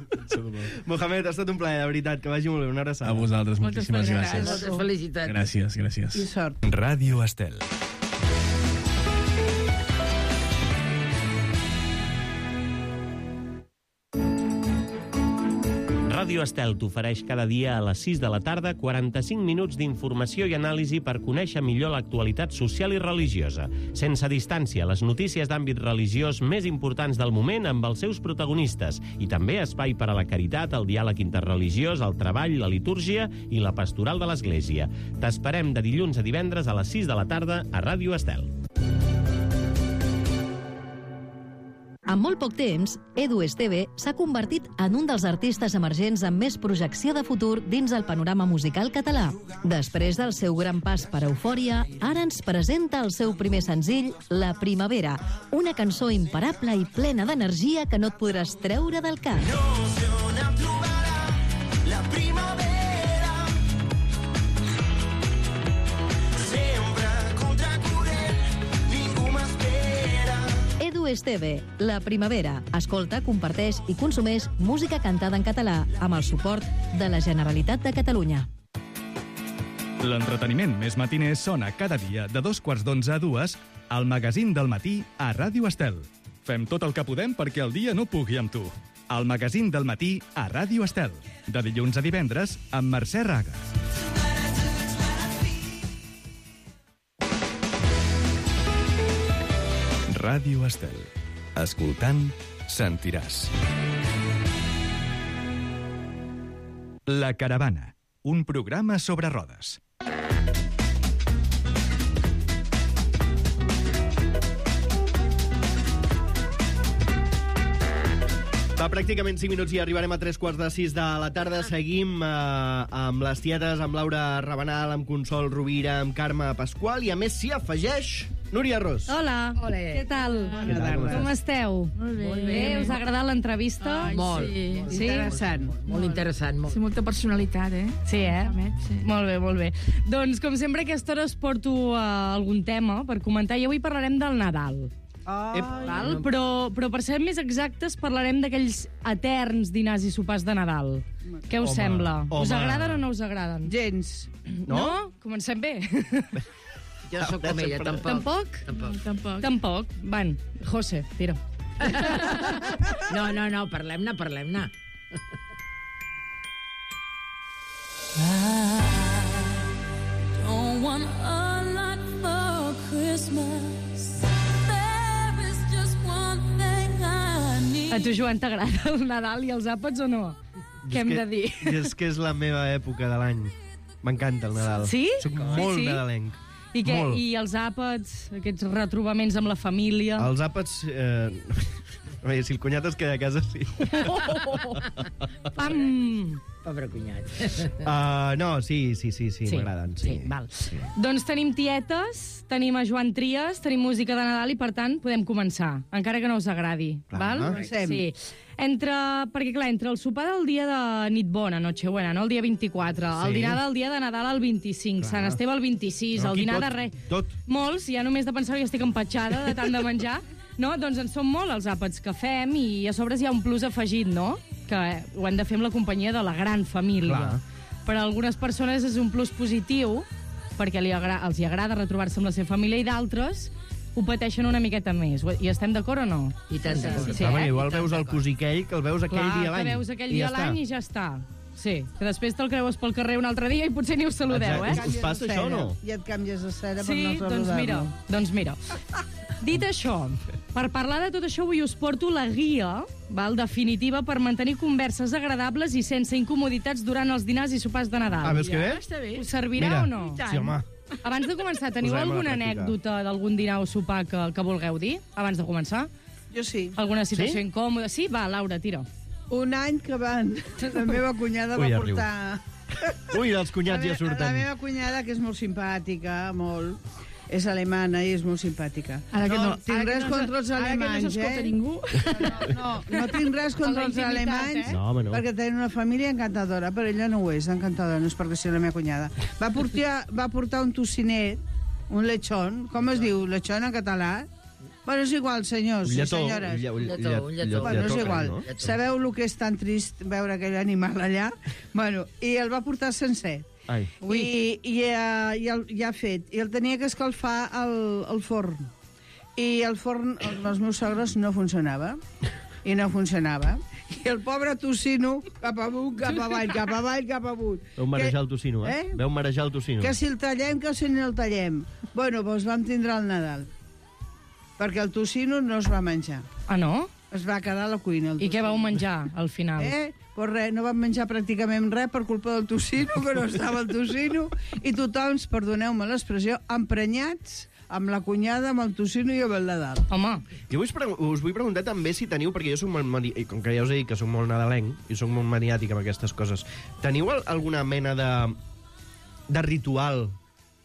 Mohamed, ha estat un plaer, de veritat, que vagi molt bé, una abraçada. A vosaltres, Moltes moltíssimes gràcies. gràcies. Moltes felicitats. Gràcies, I gràcies. sort. Ràdio Estel. Ràdio Estel t'ofereix cada dia a les sis de la tarda quaranta-cinc minuts d'informació i anàlisi per conèixer millor l'actualitat social i religiosa. Sense distància, les notícies d'àmbit religiós més importants del moment amb els seus protagonistes i també espai per a la caritat, el diàleg interreligiós, el treball, la litúrgia i la pastoral de l'Església. T'esperem de dilluns a divendres a les sis de la tarda a Ràdio Estel. En molt poc temps, Edu Esteve s'ha convertit en un dels artistes emergents amb més projecció de futur dins el panorama musical català. Després del seu gran pas per Eufòria, ara ens presenta el seu primer senzill, La Primavera, una cançó imparable i plena d'energia que no et podràs treure del cap. La primavera sempre contracorrent, ningú m'espera. Edu Esteve, La Primavera. Escolta, comparteix i consumeix música cantada en català amb el suport de la Generalitat de Catalunya. L'entreteniment més matiner sona cada dia de dos quarts d'onze a dues al magazín del matí a Ràdio Estel. Fem tot el que podem perquè el dia no pugui amb tu. El magazín del matí a Ràdio Estel. De dilluns a divendres amb Mercè Raga. Ràdio Estel. Escoltant, sentiràs. La Caravana. Un programa sobre rodes. Fa pràcticament cinc minuts i arribarem a tres quarts de sis de la tarda. Seguim eh, amb les tietes, amb Laura Rabanal, amb Consol Rovira, amb Carme Pasqual, i a més s'hi afegeix Núria Ros. Hola, Olé. què tal? Què tal, com Com estàs? esteu? Molt bé. Molt bé. Us ha agradat l'entrevista? Ai, Molt. Sí, Sí? Interessant. Molt interessant. Molt. sí, molta personalitat, eh? Sí, eh? Mohamed, sí. Molt bé, molt bé. Doncs, com sempre, a aquesta hora us porto uh, algun tema per comentar, i avui parlarem del Nadal. Ai, Val? Però, però per ser més exactes, parlarem d'aquells eterns dinars i sopars de Nadal. Què us Home, sembla? Us home. agraden o no us agraden? gens. No? Comencem bé. Jo sóc com ella, tampoc. Tampoc? Tampoc. Tampoc. Tampoc. Van, José, tira. No, no, no, parlem-ne, parlem-ne. Don't want a lot for Christmas. There is just one thing I need. A tu, Joan, t'agrada el Nadal i els àpats o no? Què hem de dir? És que és la meva època de l'any. M'encanta el Nadal. Sí? Soc Sí, molt sí? nadalenc. I, què? Molt. I els àpats, aquests retrobaments amb la família? Els àpats... Eh... Bé, si el cunyat es queda a casa, sí. Pam! Pobre cunyat. Uh, no, sí, sí, sí, sí, Sí, m'agraden. sí, val. Doncs tenim tietes, tenim a Joan Trias, tenim música de Nadal i, per tant, podem començar, encara que no us agradi. Clar. Val? Comencem. Sí. Entre, perquè, clar, entre el sopar del dia de nit bona, Nochebuena, no? El dia vint-i-quatre, Sí. el dinar del dia de Nadal el vint-i-cinc, Clar. Sant Esteve el vint-i-sis, No, el aquí dinar tot, de res... tot. Molts, ja només de pensar que estic empatxada de tant de menjar, no? Doncs en són molt els àpats que fem i a sobre hi ha un plus afegit, no? Que ho hem de fer amb la companyia de la gran família. Clar. Per a algunes persones és un plus positiu perquè li agra els hi agrada retrobar-se amb la seva família, i d'altres ho pateixen una miqueta més. Hi estem d'acord o no? I tant, Sí, sí, sí, Ah, eh? igual veus el cosí aquell que el veus aquell Clar, dia a que l'any. veus aquell I dia ja a l'any està. i ja està. Sí, que després te'l creues pel carrer un altre dia i potser ni us saludeu, Exacte. eh? Us passa això o no? I et canvies de cera per Sí, no saludar-lo. doncs mira, doncs mira. Dit això, per parlar de tot això, avui us porto la guia, val, definitiva, per mantenir converses agradables i sense incomoditats durant els dinars i sopars de Nadal. Ah, veus que bé? Està bé. Us servirà Mira. o no? Sí, home. Abans de començar, teniu Posarem a la alguna pràctica. anècdota d'algun dinar o sopar que, que vulgueu dir? Abans de començar? Jo sí. Alguna situació Sí? incòmoda? Sí? Va, Laura, tira. Un any que van... La meva cunyada Ui, va ja riu. portar... Ui, els cunyats la, ja me- la surten. meva cunyada, que és molt simpàtica, molt... És alemana i és molt simpàtica. Ara que no, tinc ara que res no contra els ara que no alemanys, s'escolta eh? ningú. No, no tinc res contra la els intimitat, alemanys, eh? No, home, no. perquè tenen una família encantadora, però ella no ho és, encantadora, no és perquè sigui la meva cunyada. Va portar, va portar un tocinet, un lechón, com es diu, lechón en català? Bueno, és igual, senyors Un i lletó, senyores. un lle- un Lletó, llet- un lletó. Bueno, és lletó, igual. no? Sabeu el que és tan trist veure aquell animal allà? Bueno, i el va portar sencer. Ai. I, i, uh, i, el, ja fet. I el tenia que escalfar al, al forn. I el forn, el, els meus sogres, no funcionava. I no funcionava. I el pobre tocino, cap amunt, cap avall, cap avall, cap amunt. Veu marejar el tocino, eh? Eh? Veu marejar el tocino. Que si el tallem, que si no el tallem. Bueno, doncs vam tindre el Nadal. Perquè el tocino no es va menjar. Ah, no? Es va quedar a la cuina. El I què tocino. vau menjar, al final? Eh? Pues res, no vam menjar pràcticament res per culpa del tocino, que no estava el tocino, i tothom, perdoneu-me l'expressió, emprenyats amb la cunyada, amb el tocino i amb el Nadal. Home, Jo us, pre us vull preguntar també si teniu, perquè jo soc molt, mani- i com que ja us he dit que soc molt nadalenc i soc molt maniàtic amb aquestes coses, teniu al alguna mena de, de ritual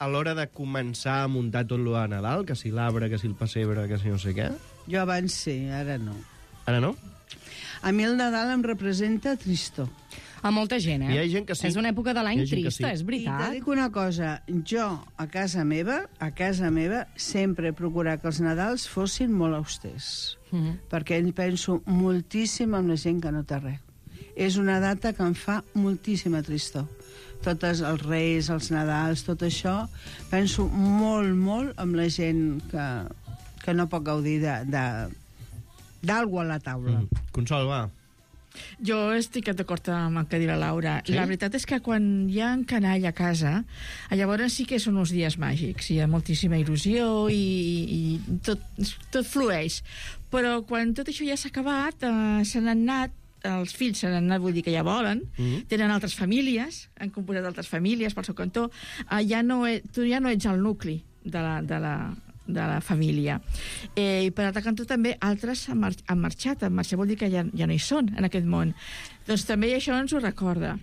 a l'hora de començar a muntar tot lo de Nadal? Que si l'arbre, que si el pessebre, que si no sé què? Jo abans sí, ara no. Ara no? A mi el Nadal em representa tristor. a molta gent, eh? Hi ha gent que sí. És una època de l'any Hi ha gent que trista, sí. és I te veritat. dic una cosa, jo a casa meva, a casa meva, sempre he procurat que els Nadals fossin molt austers, Mhm. perquè ell penso moltíssim en la gent que no té res. És una data que em fa moltíssima tristor. Totes els Reis, els Nadals, tot això, penso molt, molt amb la gent que, que no pot gaudir de, de, d'algú a la taula. Mm. Consol, va. Jo estic d'acord amb el que diu la Laura. Sí? Sí? La veritat és que quan hi ha en canall a casa, llavors sí que són uns dies màgics. Hi ha moltíssima il·lusió i, i tot, tot flueix. Però quan tot això ja s'ha acabat, eh, se n'han anat, els fills se n'han anat, vull dir que ja volen, Mm. tenen altres famílies, han composat altres famílies pel seu cantó, eh, ja no e, tu ja no ets el nucli de la, de la, de la família. Eh, I per altre cantó també altres han, mar han marxat, han marxat vol dir que ja, ja no hi són en aquest món. Doncs també això ens ho recorda.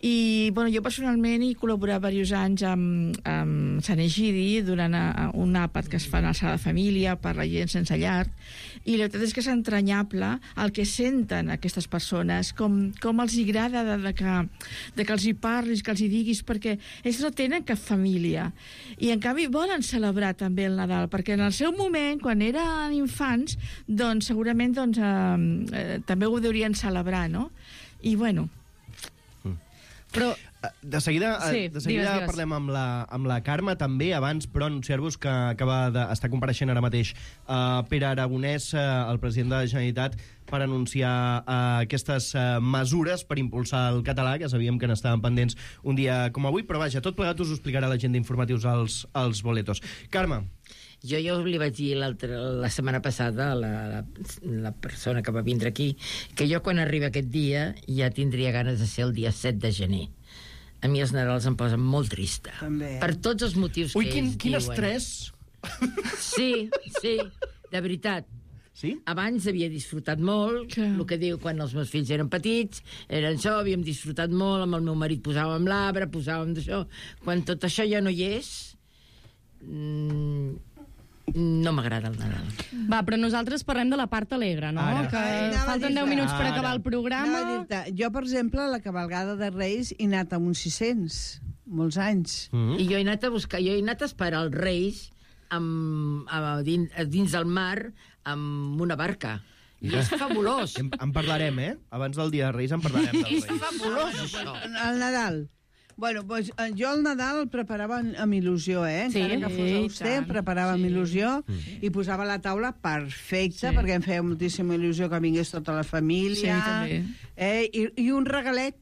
I bueno, jo personalment he col·laborat diversos anys amb, amb Sant Egidi durant a, a un àpat que es fa en el Sala de Família per la gent sense llar, i la veritat és que és entranyable el que senten aquestes persones, com, com els agrada de, de, que, de que els hi parlis, que els hi diguis, perquè ells no tenen cap família. I en canvi volen celebrar també el Nadal, perquè en el seu moment, quan eren infants, doncs segurament doncs, eh, eh, també ho deurien celebrar, no? I bueno... Però De seguida, Sí, sí, de seguida digues, digues. parlem amb la, amb la Carme també, abans, però anunciar-vos que acaba d'estar compareixent ara mateix uh, Pere Aragonès, uh, el president de la Generalitat, per anunciar uh, aquestes uh, mesures per impulsar el català, que sabíem que n'estaven pendents un dia com avui, però vaja, tot plegat us ho explicarà la gent d'informatius als, als boletos. Carme. Jo ja li vaig dir la setmana passada a la, la, la persona que va vindre aquí que jo quan arriba aquest dia ja tindria ganes de ser el dia set de gener. A mi els Nadals em posen molt trista. També. Per tots els motius Ui, que quin, ells quin diuen. estrès! Sí, sí, de veritat. Sí? Abans havia disfrutat molt, Clar. el que diu quan els meus fills eren petits, eren això, havíem disfrutat molt, amb el meu marit posàvem l'arbre, posàvem d'això. Quan tot això ja no hi és, mm, no m'agrada el Nadal. Va, però nosaltres parlem de la part alegre, no? Ara. Que Ai, anava a falten dir-te. deu minuts per Ara. acabar el programa. Anava a dir-te, jo, per exemple, a la cabalgada de Reis he anat amb uns sis-cents, molts anys. Mm. I jo he anat a buscar, jo he anat a esperar els Reis amb, a, dins, a dins del mar amb una barca. I és fabulós. En, en parlarem, eh? Abans del dia de Reis en parlarem dels És Reis. fabulós, això. El Nadal. Bueno, doncs, eh, jo el Nadal el preparava amb, amb il·lusió, eh? Sí, Encara que fos i auster, tant, preparava amb sí. il·lusió Mm. i posava la taula perfecta, Sí. perquè em feia moltíssima il·lusió que vingués tota la família. Sí, també. Eh? I, I un regalet,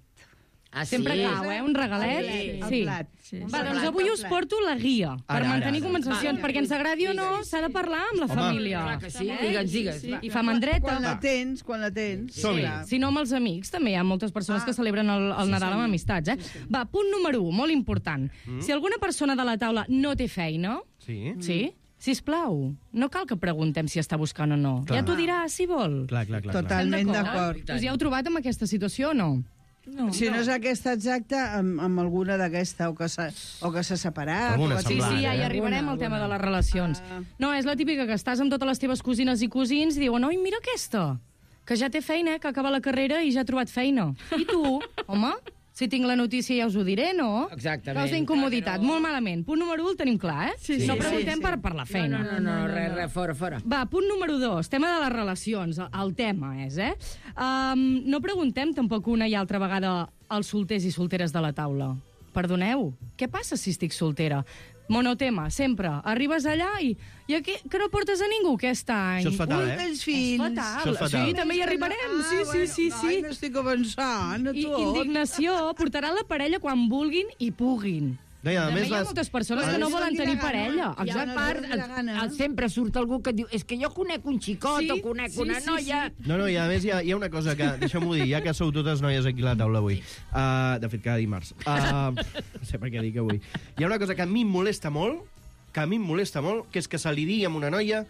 Ah, Sempre sí? cau, eh? Un regalet. El Sí. plat. Sí. Un Va, doncs plat, avui el us plat. porto la guia per Ara, mantenir ara, ara. conversacions, perquè ens agradi o no, s'ha de parlar amb la Home. família. Clar que sí, Eh? digues, digues. Sí, I fa mandreta. Quan la tens, quan la tens. Som-hi. clar. Si no, amb els amics també hi ha moltes persones Ah. que celebren el, el Nadal amb amistats. Eh? Va, punt número un, molt important. Si alguna persona de la taula no té feina, Sí? sí, sisplau, no cal que preguntem si està buscant o no. Clar. Ja t'ho dirà, si vol. Clar, clar, clar. clar. Totalment Estem d'acord. Us hi heu trobat amb aquesta situació o no? No. Si no és aquesta exacta, amb, amb alguna d'aquesta, o que s'ha o que s'ha separat. Alguna o que- Sí, semblant, sí, ja hi eh? arribarem al tema de les relacions. Ah. No, és la típica que estàs amb totes les teves cosines i cosins i diuen, oi, mira aquesta, que ja té feina, que acaba la carrera i ja ha trobat feina. I tu, home, si tinc la notícia ja us ho diré, no? Exactament. Causa incomoditat, molt malament. Punt número un el tenim clar, eh? Sí, sí, no sí, preguntem sí. per, per la feina. No, no, no, res, res, fora, fora. Va, punt número dos, tema de les relacions. El tema és, eh? Um, no preguntem tampoc una i altra vegada als solters i solteres de la taula. Perdoneu, què passa si estic soltera? Monotema, sempre. Arribes allà i... I aquí, que no portes a ningú aquest any? Això és fatal, Un eh? dels És fills. fatal. Això és fatal. Sí, també hi arribarem. Sí, sí, sí, sí. Ai, m'estic avançant a I tot. indignació, portaran la parella quan vulguin i puguin. No, i a També més, hi ha les... moltes persones Bueno, que no si volen no tenir tira gana. parella. I a Ja, no part, li dóna gana. el, sempre surt algú que diu és que jo conec un xicot Sí, o conec sí, una sí, noia... No, no, i a més hi ha, hi ha una cosa que... Deixeu-m'ho dir, ja que sou totes noies aquí a la taula avui. Uh, de fet, cada dimarts. Uh, no sé per què dic avui. Hi ha una cosa que a mi em molesta molt, que a mi em molesta molt, que és que se li digui a una noia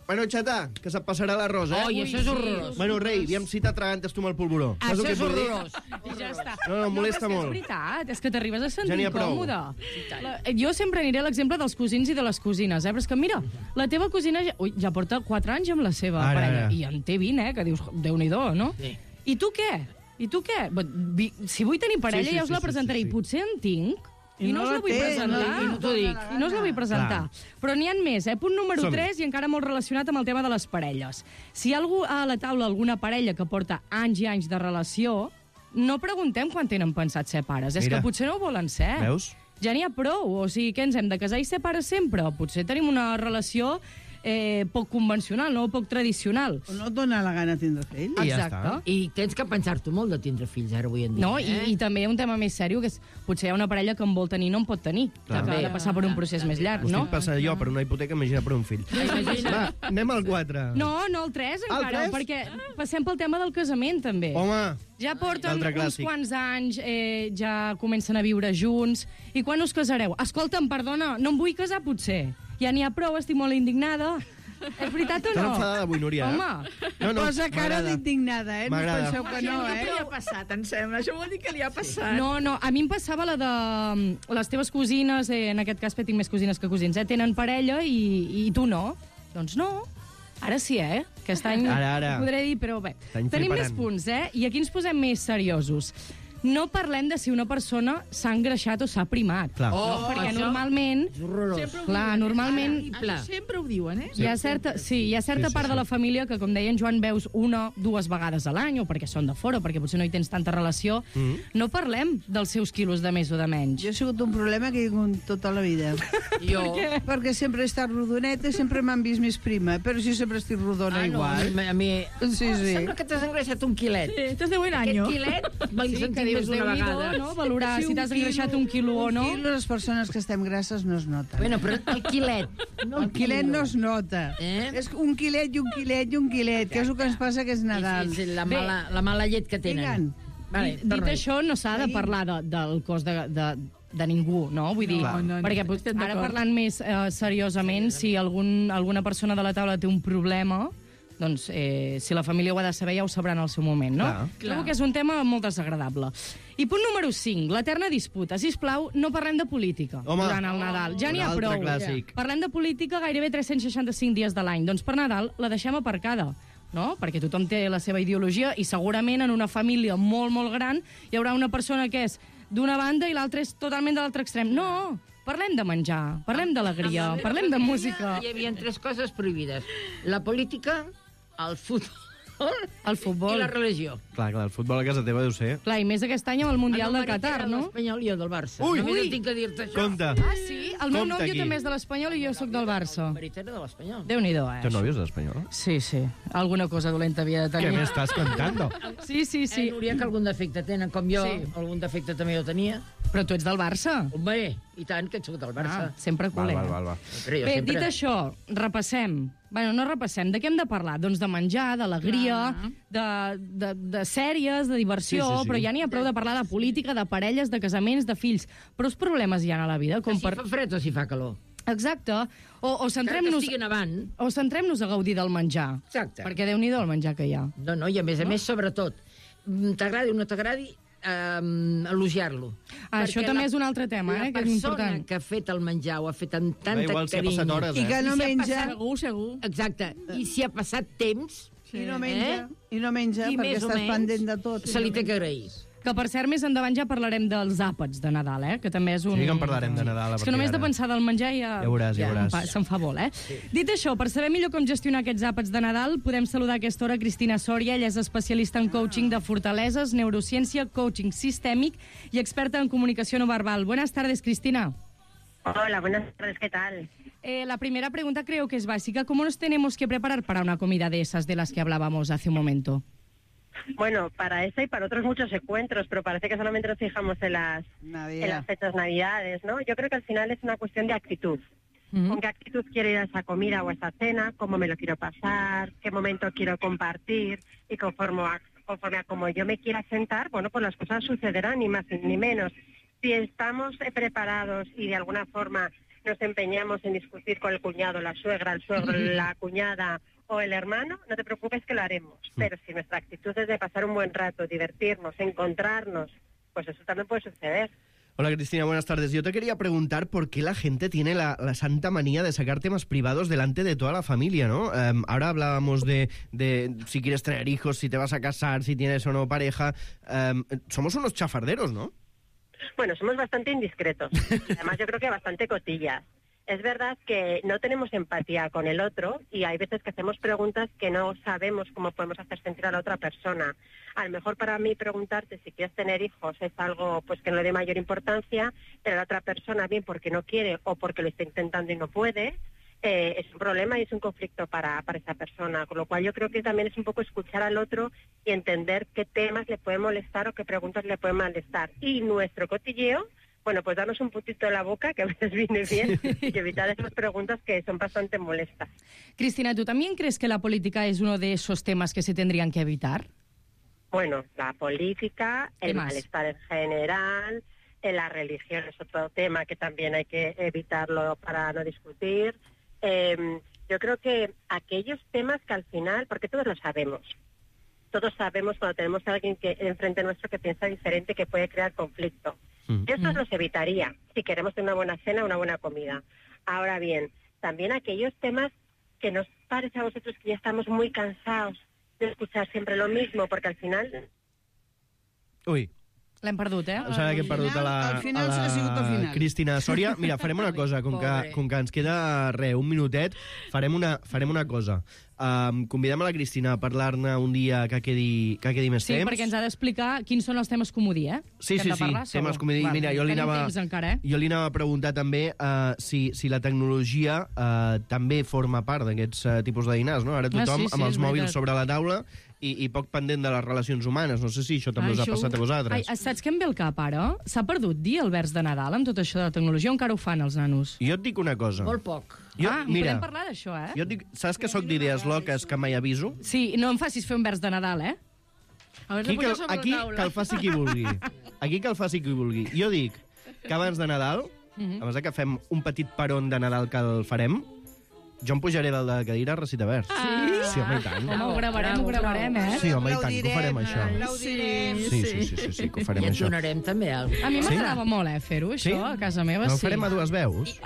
bueno, xatà, que se't passarà l'arròs, eh? Oi, això és horrorós. Bueno, rei, aviam si t'atragantes tu amb el polvoró. Saps Això el que és et vull dir? horrorós. I ja està. No, no, em molesta però és que molt. És veritat, és que t'arribes a sentir Ja n'hi ha prou. incòmode. La, jo sempre aniré a l'exemple dels cosins i de les cosines, eh? Però és que mira, la teva cosina ja, ui, ja porta quatre anys amb la seva Ara, parella, ara. i en té vint, eh? Que dius, Déu-n'hi-do, no? Sí. I tu què? I tu què? Bé, vi- Si vull tenir parella, Sí, sí, ja us sí, la sí, presentaré, sí, sí. i potser en tinc, i, I no, no us la la vull té, presentar. no, i no t'ho dic. I no us la vull presentar. Però n'hi ha més, eh? Punt número Som-hi. tres, i encara molt relacionat amb el tema de les parelles. Si hi ha algú a la taula, alguna parella que porta anys i anys de relació, no preguntem quan tenen pensat ser pares. És Mira. que potser no ho volen ser. Veus? Ja n'hi ha prou. O sigui, què ens hem de casar i ser pares sempre? Potser tenim una relació eh, poc convencional, no? Poc tradicional. O no et dona la gana tindre fills. I ja Exacte. està. I tens que pensar-t'ho molt de tindre fills ara avui en dia. No, eh? i, i també un tema més sèrio, que és potser hi ha una parella que en vol tenir i no en pot tenir. Clar. Que ha de passar per un procés més llarg, Ho no? estic passant jo per una hipoteca, imagina per un fill. Va, anem al quatre. No, no, el tres Al encara, tres? perquè passem pel tema del casament, també. Home, Ja porten L'altre uns clàssic. quants anys, eh, ja comencen a viure junts. I quan us casareu? Escolta'm, perdona, no em vull casar, potser. Ja n'hi ha prou, estic molt indignada. És veritat o t'han no? enfadada avui, Núria. eh? Home, No, no, Posa cara m'agrada. d'indignada, eh? No us M'agrada. penseu que no, Què eh? li ha passat, em sembla? Això vol dir que li ha passat. no, no, a mi em passava la de mm, les teves cosines, eh, en aquest cas tinc més cosines que cosins, eh, tenen parella i, i tu no. Doncs no. Ara sí, eh? Aquest any Ara, ara. ho podré dir, però bé. T'any Tenim més fliparant. punts, eh? I aquí ens posem més seriosos. No parlem de si una persona s'ha engreixat o s'ha primat. Clar. Oh, No, perquè això normalment... és horrorós. Sempre ho Clar, diuen, eh? normalment- Ara, sempre ho diuen, eh? Hi ha certa, sí, hi ha certa Sí, sí, part sí. de la família que, com deia en Joan, veus una, dues vegades a l'any, o perquè són de fora, o perquè potser no hi tens tanta relació. Mm. No parlem dels seus quilos de més o de menys. Jo he sigut un problema que he tingut tota la vida. Jo... Perquè sempre he estat rodoneta i sempre m'han vist més prima, però si sempre estic rodona Ah, no, a igual. mi... A mi... Sí, sí. Sembla que t'has engreixat un quilet. Sí, estàs de buen Aquest año. quilet me'l Sí, que sentit dius, més una Déu-n'hi-do, vegada. no? Valorar si un t'has quilo- engreixat un quilo o no. Un quilo, les persones que estem grasses no es nota. Bueno, però el quilet. No El quilet no es nota. Eh? És un quilet i un quilet i un quilet, que és el que ens passa que és Nadal. Sí, sí, la, mala, la mala llet que tenen. Digue'n. Vale, Dit, dit torna-hi. això, no s'ha de Sí. parlar de, del cos de, de, de ningú, no? Vull dir, No, no, no, perquè estem ara d'acord. parlant més eh, seriosament, si algun, alguna persona de la taula té un problema, doncs eh, si la família ho ha de saber ja ho sabrà en el seu moment, no? Clar. Trobo que és un tema molt desagradable. I punt número cinc, l'eterna disputa. Sisplau, no parlem de política Home. durant el Nadal. Ja n'hi ha Un altre prou. clàssic. Parlem de política gairebé tres-cents seixanta-cinc dies de l'any. Doncs per Nadal la deixem aparcada, no? Perquè tothom té la seva ideologia i segurament en una família molt, molt gran hi haurà una persona que és d'una banda i l'altra és totalment de l'altre extrem. No! Parlem de menjar, parlem d'alegria, parlem de música. Hi havia tres coses prohibides. La política, el futbol El futbol. I la religió. Clar, clar, el futbol a casa teva deu ser... Clar, i més aquest any amb el Mundial del Qatar, no? L'Espanyol i jo del Barça. Ui, Només ui. tinc que dir-te això. Compte. Ah, sí? El meu Compte nòvio aquí. també és de l'Espanyol i jo sóc del Barça. El marit era de l'Espanyol. Déu-n'hi-do, eh? Teu nòvio és d'Espanyol? Sí, sí. Alguna cosa dolenta havia de tenir. Què m'estàs contando? Sí, sí, sí. Eh, Núria, que algun defecte tenen, com jo. Sí. Algun defecte també jo tenia. Però tu ets del Barça. Home, i tant, que ets del Barça. Ah, sempre Val, culer. val, val, val. Però jo Bé, sempre... dit això, repassem. Bueno, no repassem. De què hem de parlar? Doncs de menjar, d'alegria, de, de, de sèries, de diversió, Sí, sí, sí. però ja n'hi ha prou de parlar de política, de parelles, de casaments, de fills. Però els problemes hi ha a la vida. Com Si per... fa fred o si fa calor. Exacte. O, o Encara que centrem-nos estigui nevant. o centrem-nos a gaudir del menjar. Exacte. Perquè Déu-n'hi-do el menjar que hi ha. No, no, i a més a més, sobretot, mm, t'agradi o no t'agradi, um, elogiar-lo. Ah, això també és un altre tema, eh, que és La important. persona que ha fet el menjar ho ha fet amb tanta Da igual si ha carinyo. passat hores, I eh? que no I si ha menja. passat- Segur, segur. Exacte. I si ha passat temps... I no menja, Eh? i no menja, I perquè més o estàs menys pendent de tot. i se li no té que menja. agrair. Que, per cert, més endavant ja parlarem dels àpats de Nadal, eh? Que també és un... Sí que en parlarem de Nadal, a És que partir només de d'ara. pensar del menjar ja... Ja veuràs, ja em veuràs. fa- Se'n fa vol, eh? Sí. Dit això, per saber millor com gestionar aquests àpats de Nadal, podem saludar a aquesta hora Cristina Sòria. Ella és especialista en coaching de fortaleses, neurociència, coaching sistèmic i experta en comunicació no verbal. Buenas tardes, Cristina. Hola, buenas tardes, ¿qué tal? Eh, la primera pregunta creo que es básica. ¿Cómo nos tenemos que preparar para una comida de esas de las que hablábamos hace un momento? Bueno, para esta y para otros muchos encuentros, pero parece que solamente nos fijamos en las, Navidad. en las fechas navidades, ¿no? Yo creo que al final es una cuestión de actitud. Mm. ¿Con qué actitud quiero ir a esa comida o a esa cena? ¿Cómo me lo quiero pasar? ¿Qué momento quiero compartir? Y conforme a, conforme a cómo yo me quiera sentar, bueno, pues las cosas sucederán, ni más ni menos. Si estamos eh, preparados y de alguna forma nos empeñamos en discutir con el cuñado, la suegra, el suegro, la cuñada o el hermano, no te preocupes que lo haremos. Pero si nuestra actitud es de pasar un buen rato, divertirnos, encontrarnos, pues eso también puede suceder. Hola Cristina, buenas tardes. Yo te quería preguntar por qué la gente tiene la, la santa manía de sacar temas privados delante de toda la familia, ¿no? Um, ahora hablábamos de, de si quieres tener hijos, si te vas a casar, si tienes o no pareja. Um, somos unos chafarderos, ¿no? Bueno, somos bastante indiscretos. Además, yo creo que bastante cotillas. Es verdad que no tenemos empatía con el otro y hay veces que hacemos preguntas que no sabemos cómo podemos hacer sentir a la otra persona. A lo mejor para mí preguntarte si quieres tener hijos es algo pues que no le dé mayor importancia, pero la otra persona, bien porque no quiere o porque lo está intentando y no puede, eh, es un problema y es un conflicto para, para esa persona. Con lo cual yo creo que también es un poco escuchar al otro y entender qué temas le pueden molestar o qué preguntas le pueden molestar. Y nuestro cotilleo, bueno, pues darnos un puntito en la boca, que a veces viene bien, y evitar esas preguntas que son bastante molestas. Cristina, ¿tú también crees que la política es uno de esos temas que se tendrían que evitar? Bueno, la política, ¿Qué el más? malestar en general, eh, la religión es otro tema que también hay que evitarlo para no discutir. Eh, yo creo que aquellos temas que al final, porque todos lo sabemos, todos sabemos cuando tenemos a alguien que enfrente nuestro que piensa diferente, que puede crear conflicto. Mm. Estos los evitaría si queremos tener una buena cena, una buena comida. Ahora bien, también aquellos temas que nos parece a vosotros que ya estamos muy cansados de escuchar siempre lo mismo, porque al final... Ui, L'hem perdut, eh? em sembla que hem perdut a la, al final a ha sigut al la final. Cristina Sòria. Mira, farem una cosa, com que, Pobre. com que ens queda, re, un minutet, farem una, farem una cosa. Um, convidem a la Cristina a parlar-ne un dia que quedi, que quedi més Sí, temps. perquè ens ha d'explicar quins són els temes comodí, eh? Sí, Que hem sí, de sí, parlar, temes segur. com he dit. Val. Mira, jo li Tenim anava, temps encara, eh? jo li anava a preguntar també uh, si, si la tecnologia uh, també forma part d'aquests uh, tipus de dinars, no? Ara Ah, tothom sí, sí, amb és els mòbils veritat. sobre la taula i, i poc pendent de les relacions humanes. No sé si això també us ha Això- passat a vosaltres. Ai, saps què em ve al cap, ara? S'ha perdut dir el vers de Nadal amb tot això de la tecnologia, o encara ho fan els nanos? Jo et dic una cosa. Molt poc. Jo, ah, mira, podem parlar d'això, eh? jo et dic, saps que sóc d'idees loques que mai aviso? Sí, no em facis fer un vers de Nadal, eh? Aquí que, aquí que el faci qui vulgui. Aquí que el faci qui vulgui. Jo dic que abans de Nadal, Mhm. abans de que fem un petit peron de Nadal que el farem, jo em pujaré dalt de la cadira a recitar vers. Sí? Sí, home, i tant. Home, ho gravarem, ho gravarem, eh? Sí, home, i tant, que ho farem, això. Aplaudirem. Sí, sí, sí, sí, sí que ho farem, I et això. donarem també alguna A mi Sí? m'agradava molt, eh, fer-ho, això, Sí? a casa meva, No ho sí. farem a dues veus?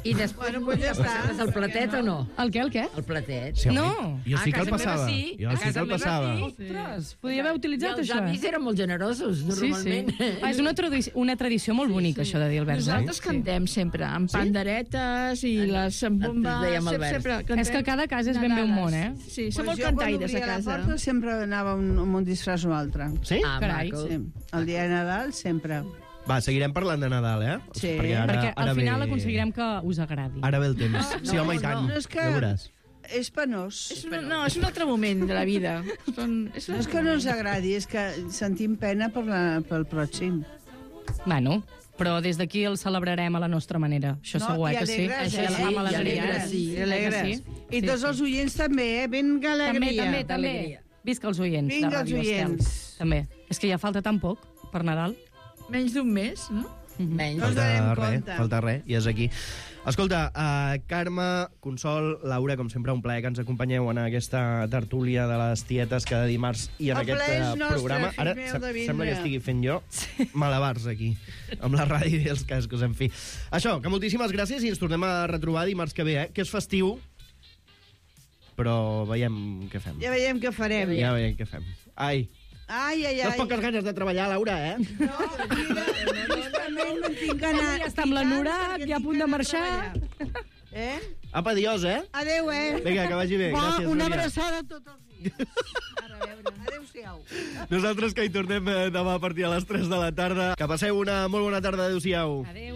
I després Bueno, pues ja està. passaves el platet o no? El què, el què? El platet. Sí, home, No. Jo sí A que el casa meva passava. sí, Jo a sí que casa el meva passava. sí. Ostres, podia haver I utilitzat els això. avis eren molt generosos, Sí, sí. normalment. Ah, és una, tradi una tradició molt bonica, això de dir el vers. Nosaltres eh? cantem sempre, amb panderetes i les amb bomba. Ens dèiem el sempre, vers. sempre cantem És que cada casa és ben bé un món, eh? Sí, som Pues molt jo, quan cantaires a obria casa. la porta, sempre anava un, amb un disfraç o altre. Sí? Ah, Carai, maco. Sí. El dia de Nadal, sempre. Va, seguirem parlant de Nadal, eh? Sí. Perquè ara, Perquè al ara final ve... aconseguirem que us agradi. Ara ve el temps. Sí, home, i tant. No és que... Ja veuràs. És penós. És un, no, és un altre moment de la vida. Són, és un No és que no ens agradi, és que sentim pena per la, pel pròxim. Bueno, però des d'aquí el celebrarem a la nostra manera. Això No, segur, i eh, que sí? alegres, Això eh? ja amb I alegria. alegres, sí. I alegres. Sí, I sí, tots sí. els oients també, eh? Vinga També, alegria. també, també. D'alegria. Visca els oients Vinga de els Ràdio Estel. oients. També. És que ja falta tan poc per Nadal. menys d'un mes, no? Menys. No ens Falta donem res, compte. falta res, i és aquí. Escolta, uh, Carme, Consol, Laura, com sempre, un plaer que ens acompanyeu en aquesta tertúlia de les tietes cada dimarts i en El aquest plaer és eh, nostre, programa. fill Ara meu, se- de vindre. sembla que estigui fent jo malabars aquí, amb la ràdio i els cascos, en fi. Això, que moltíssimes gràcies i ens tornem a retrobar dimarts que ve, eh? Que és festiu, però veiem què fem. Ja veiem què farem. Ja veiem què fem. Ai, Ai, ai, ai. tens poques ganes de treballar, Laura, eh? No, mira, justament no tinc ganes. Ja està amb la Nura, ja a punt de marxar. Eh? Apa, adiós, eh? Adéu, eh? Vinga, que vagi bé. Va, Gràcies, una Núria. abraçada a tots els dies. Ara, a veure, adéu-siau. Nosaltres que hi tornem eh, demà a partir de les tres de la tarda. Que passeu una molt bona tarda. Adéu-siau. Adéu.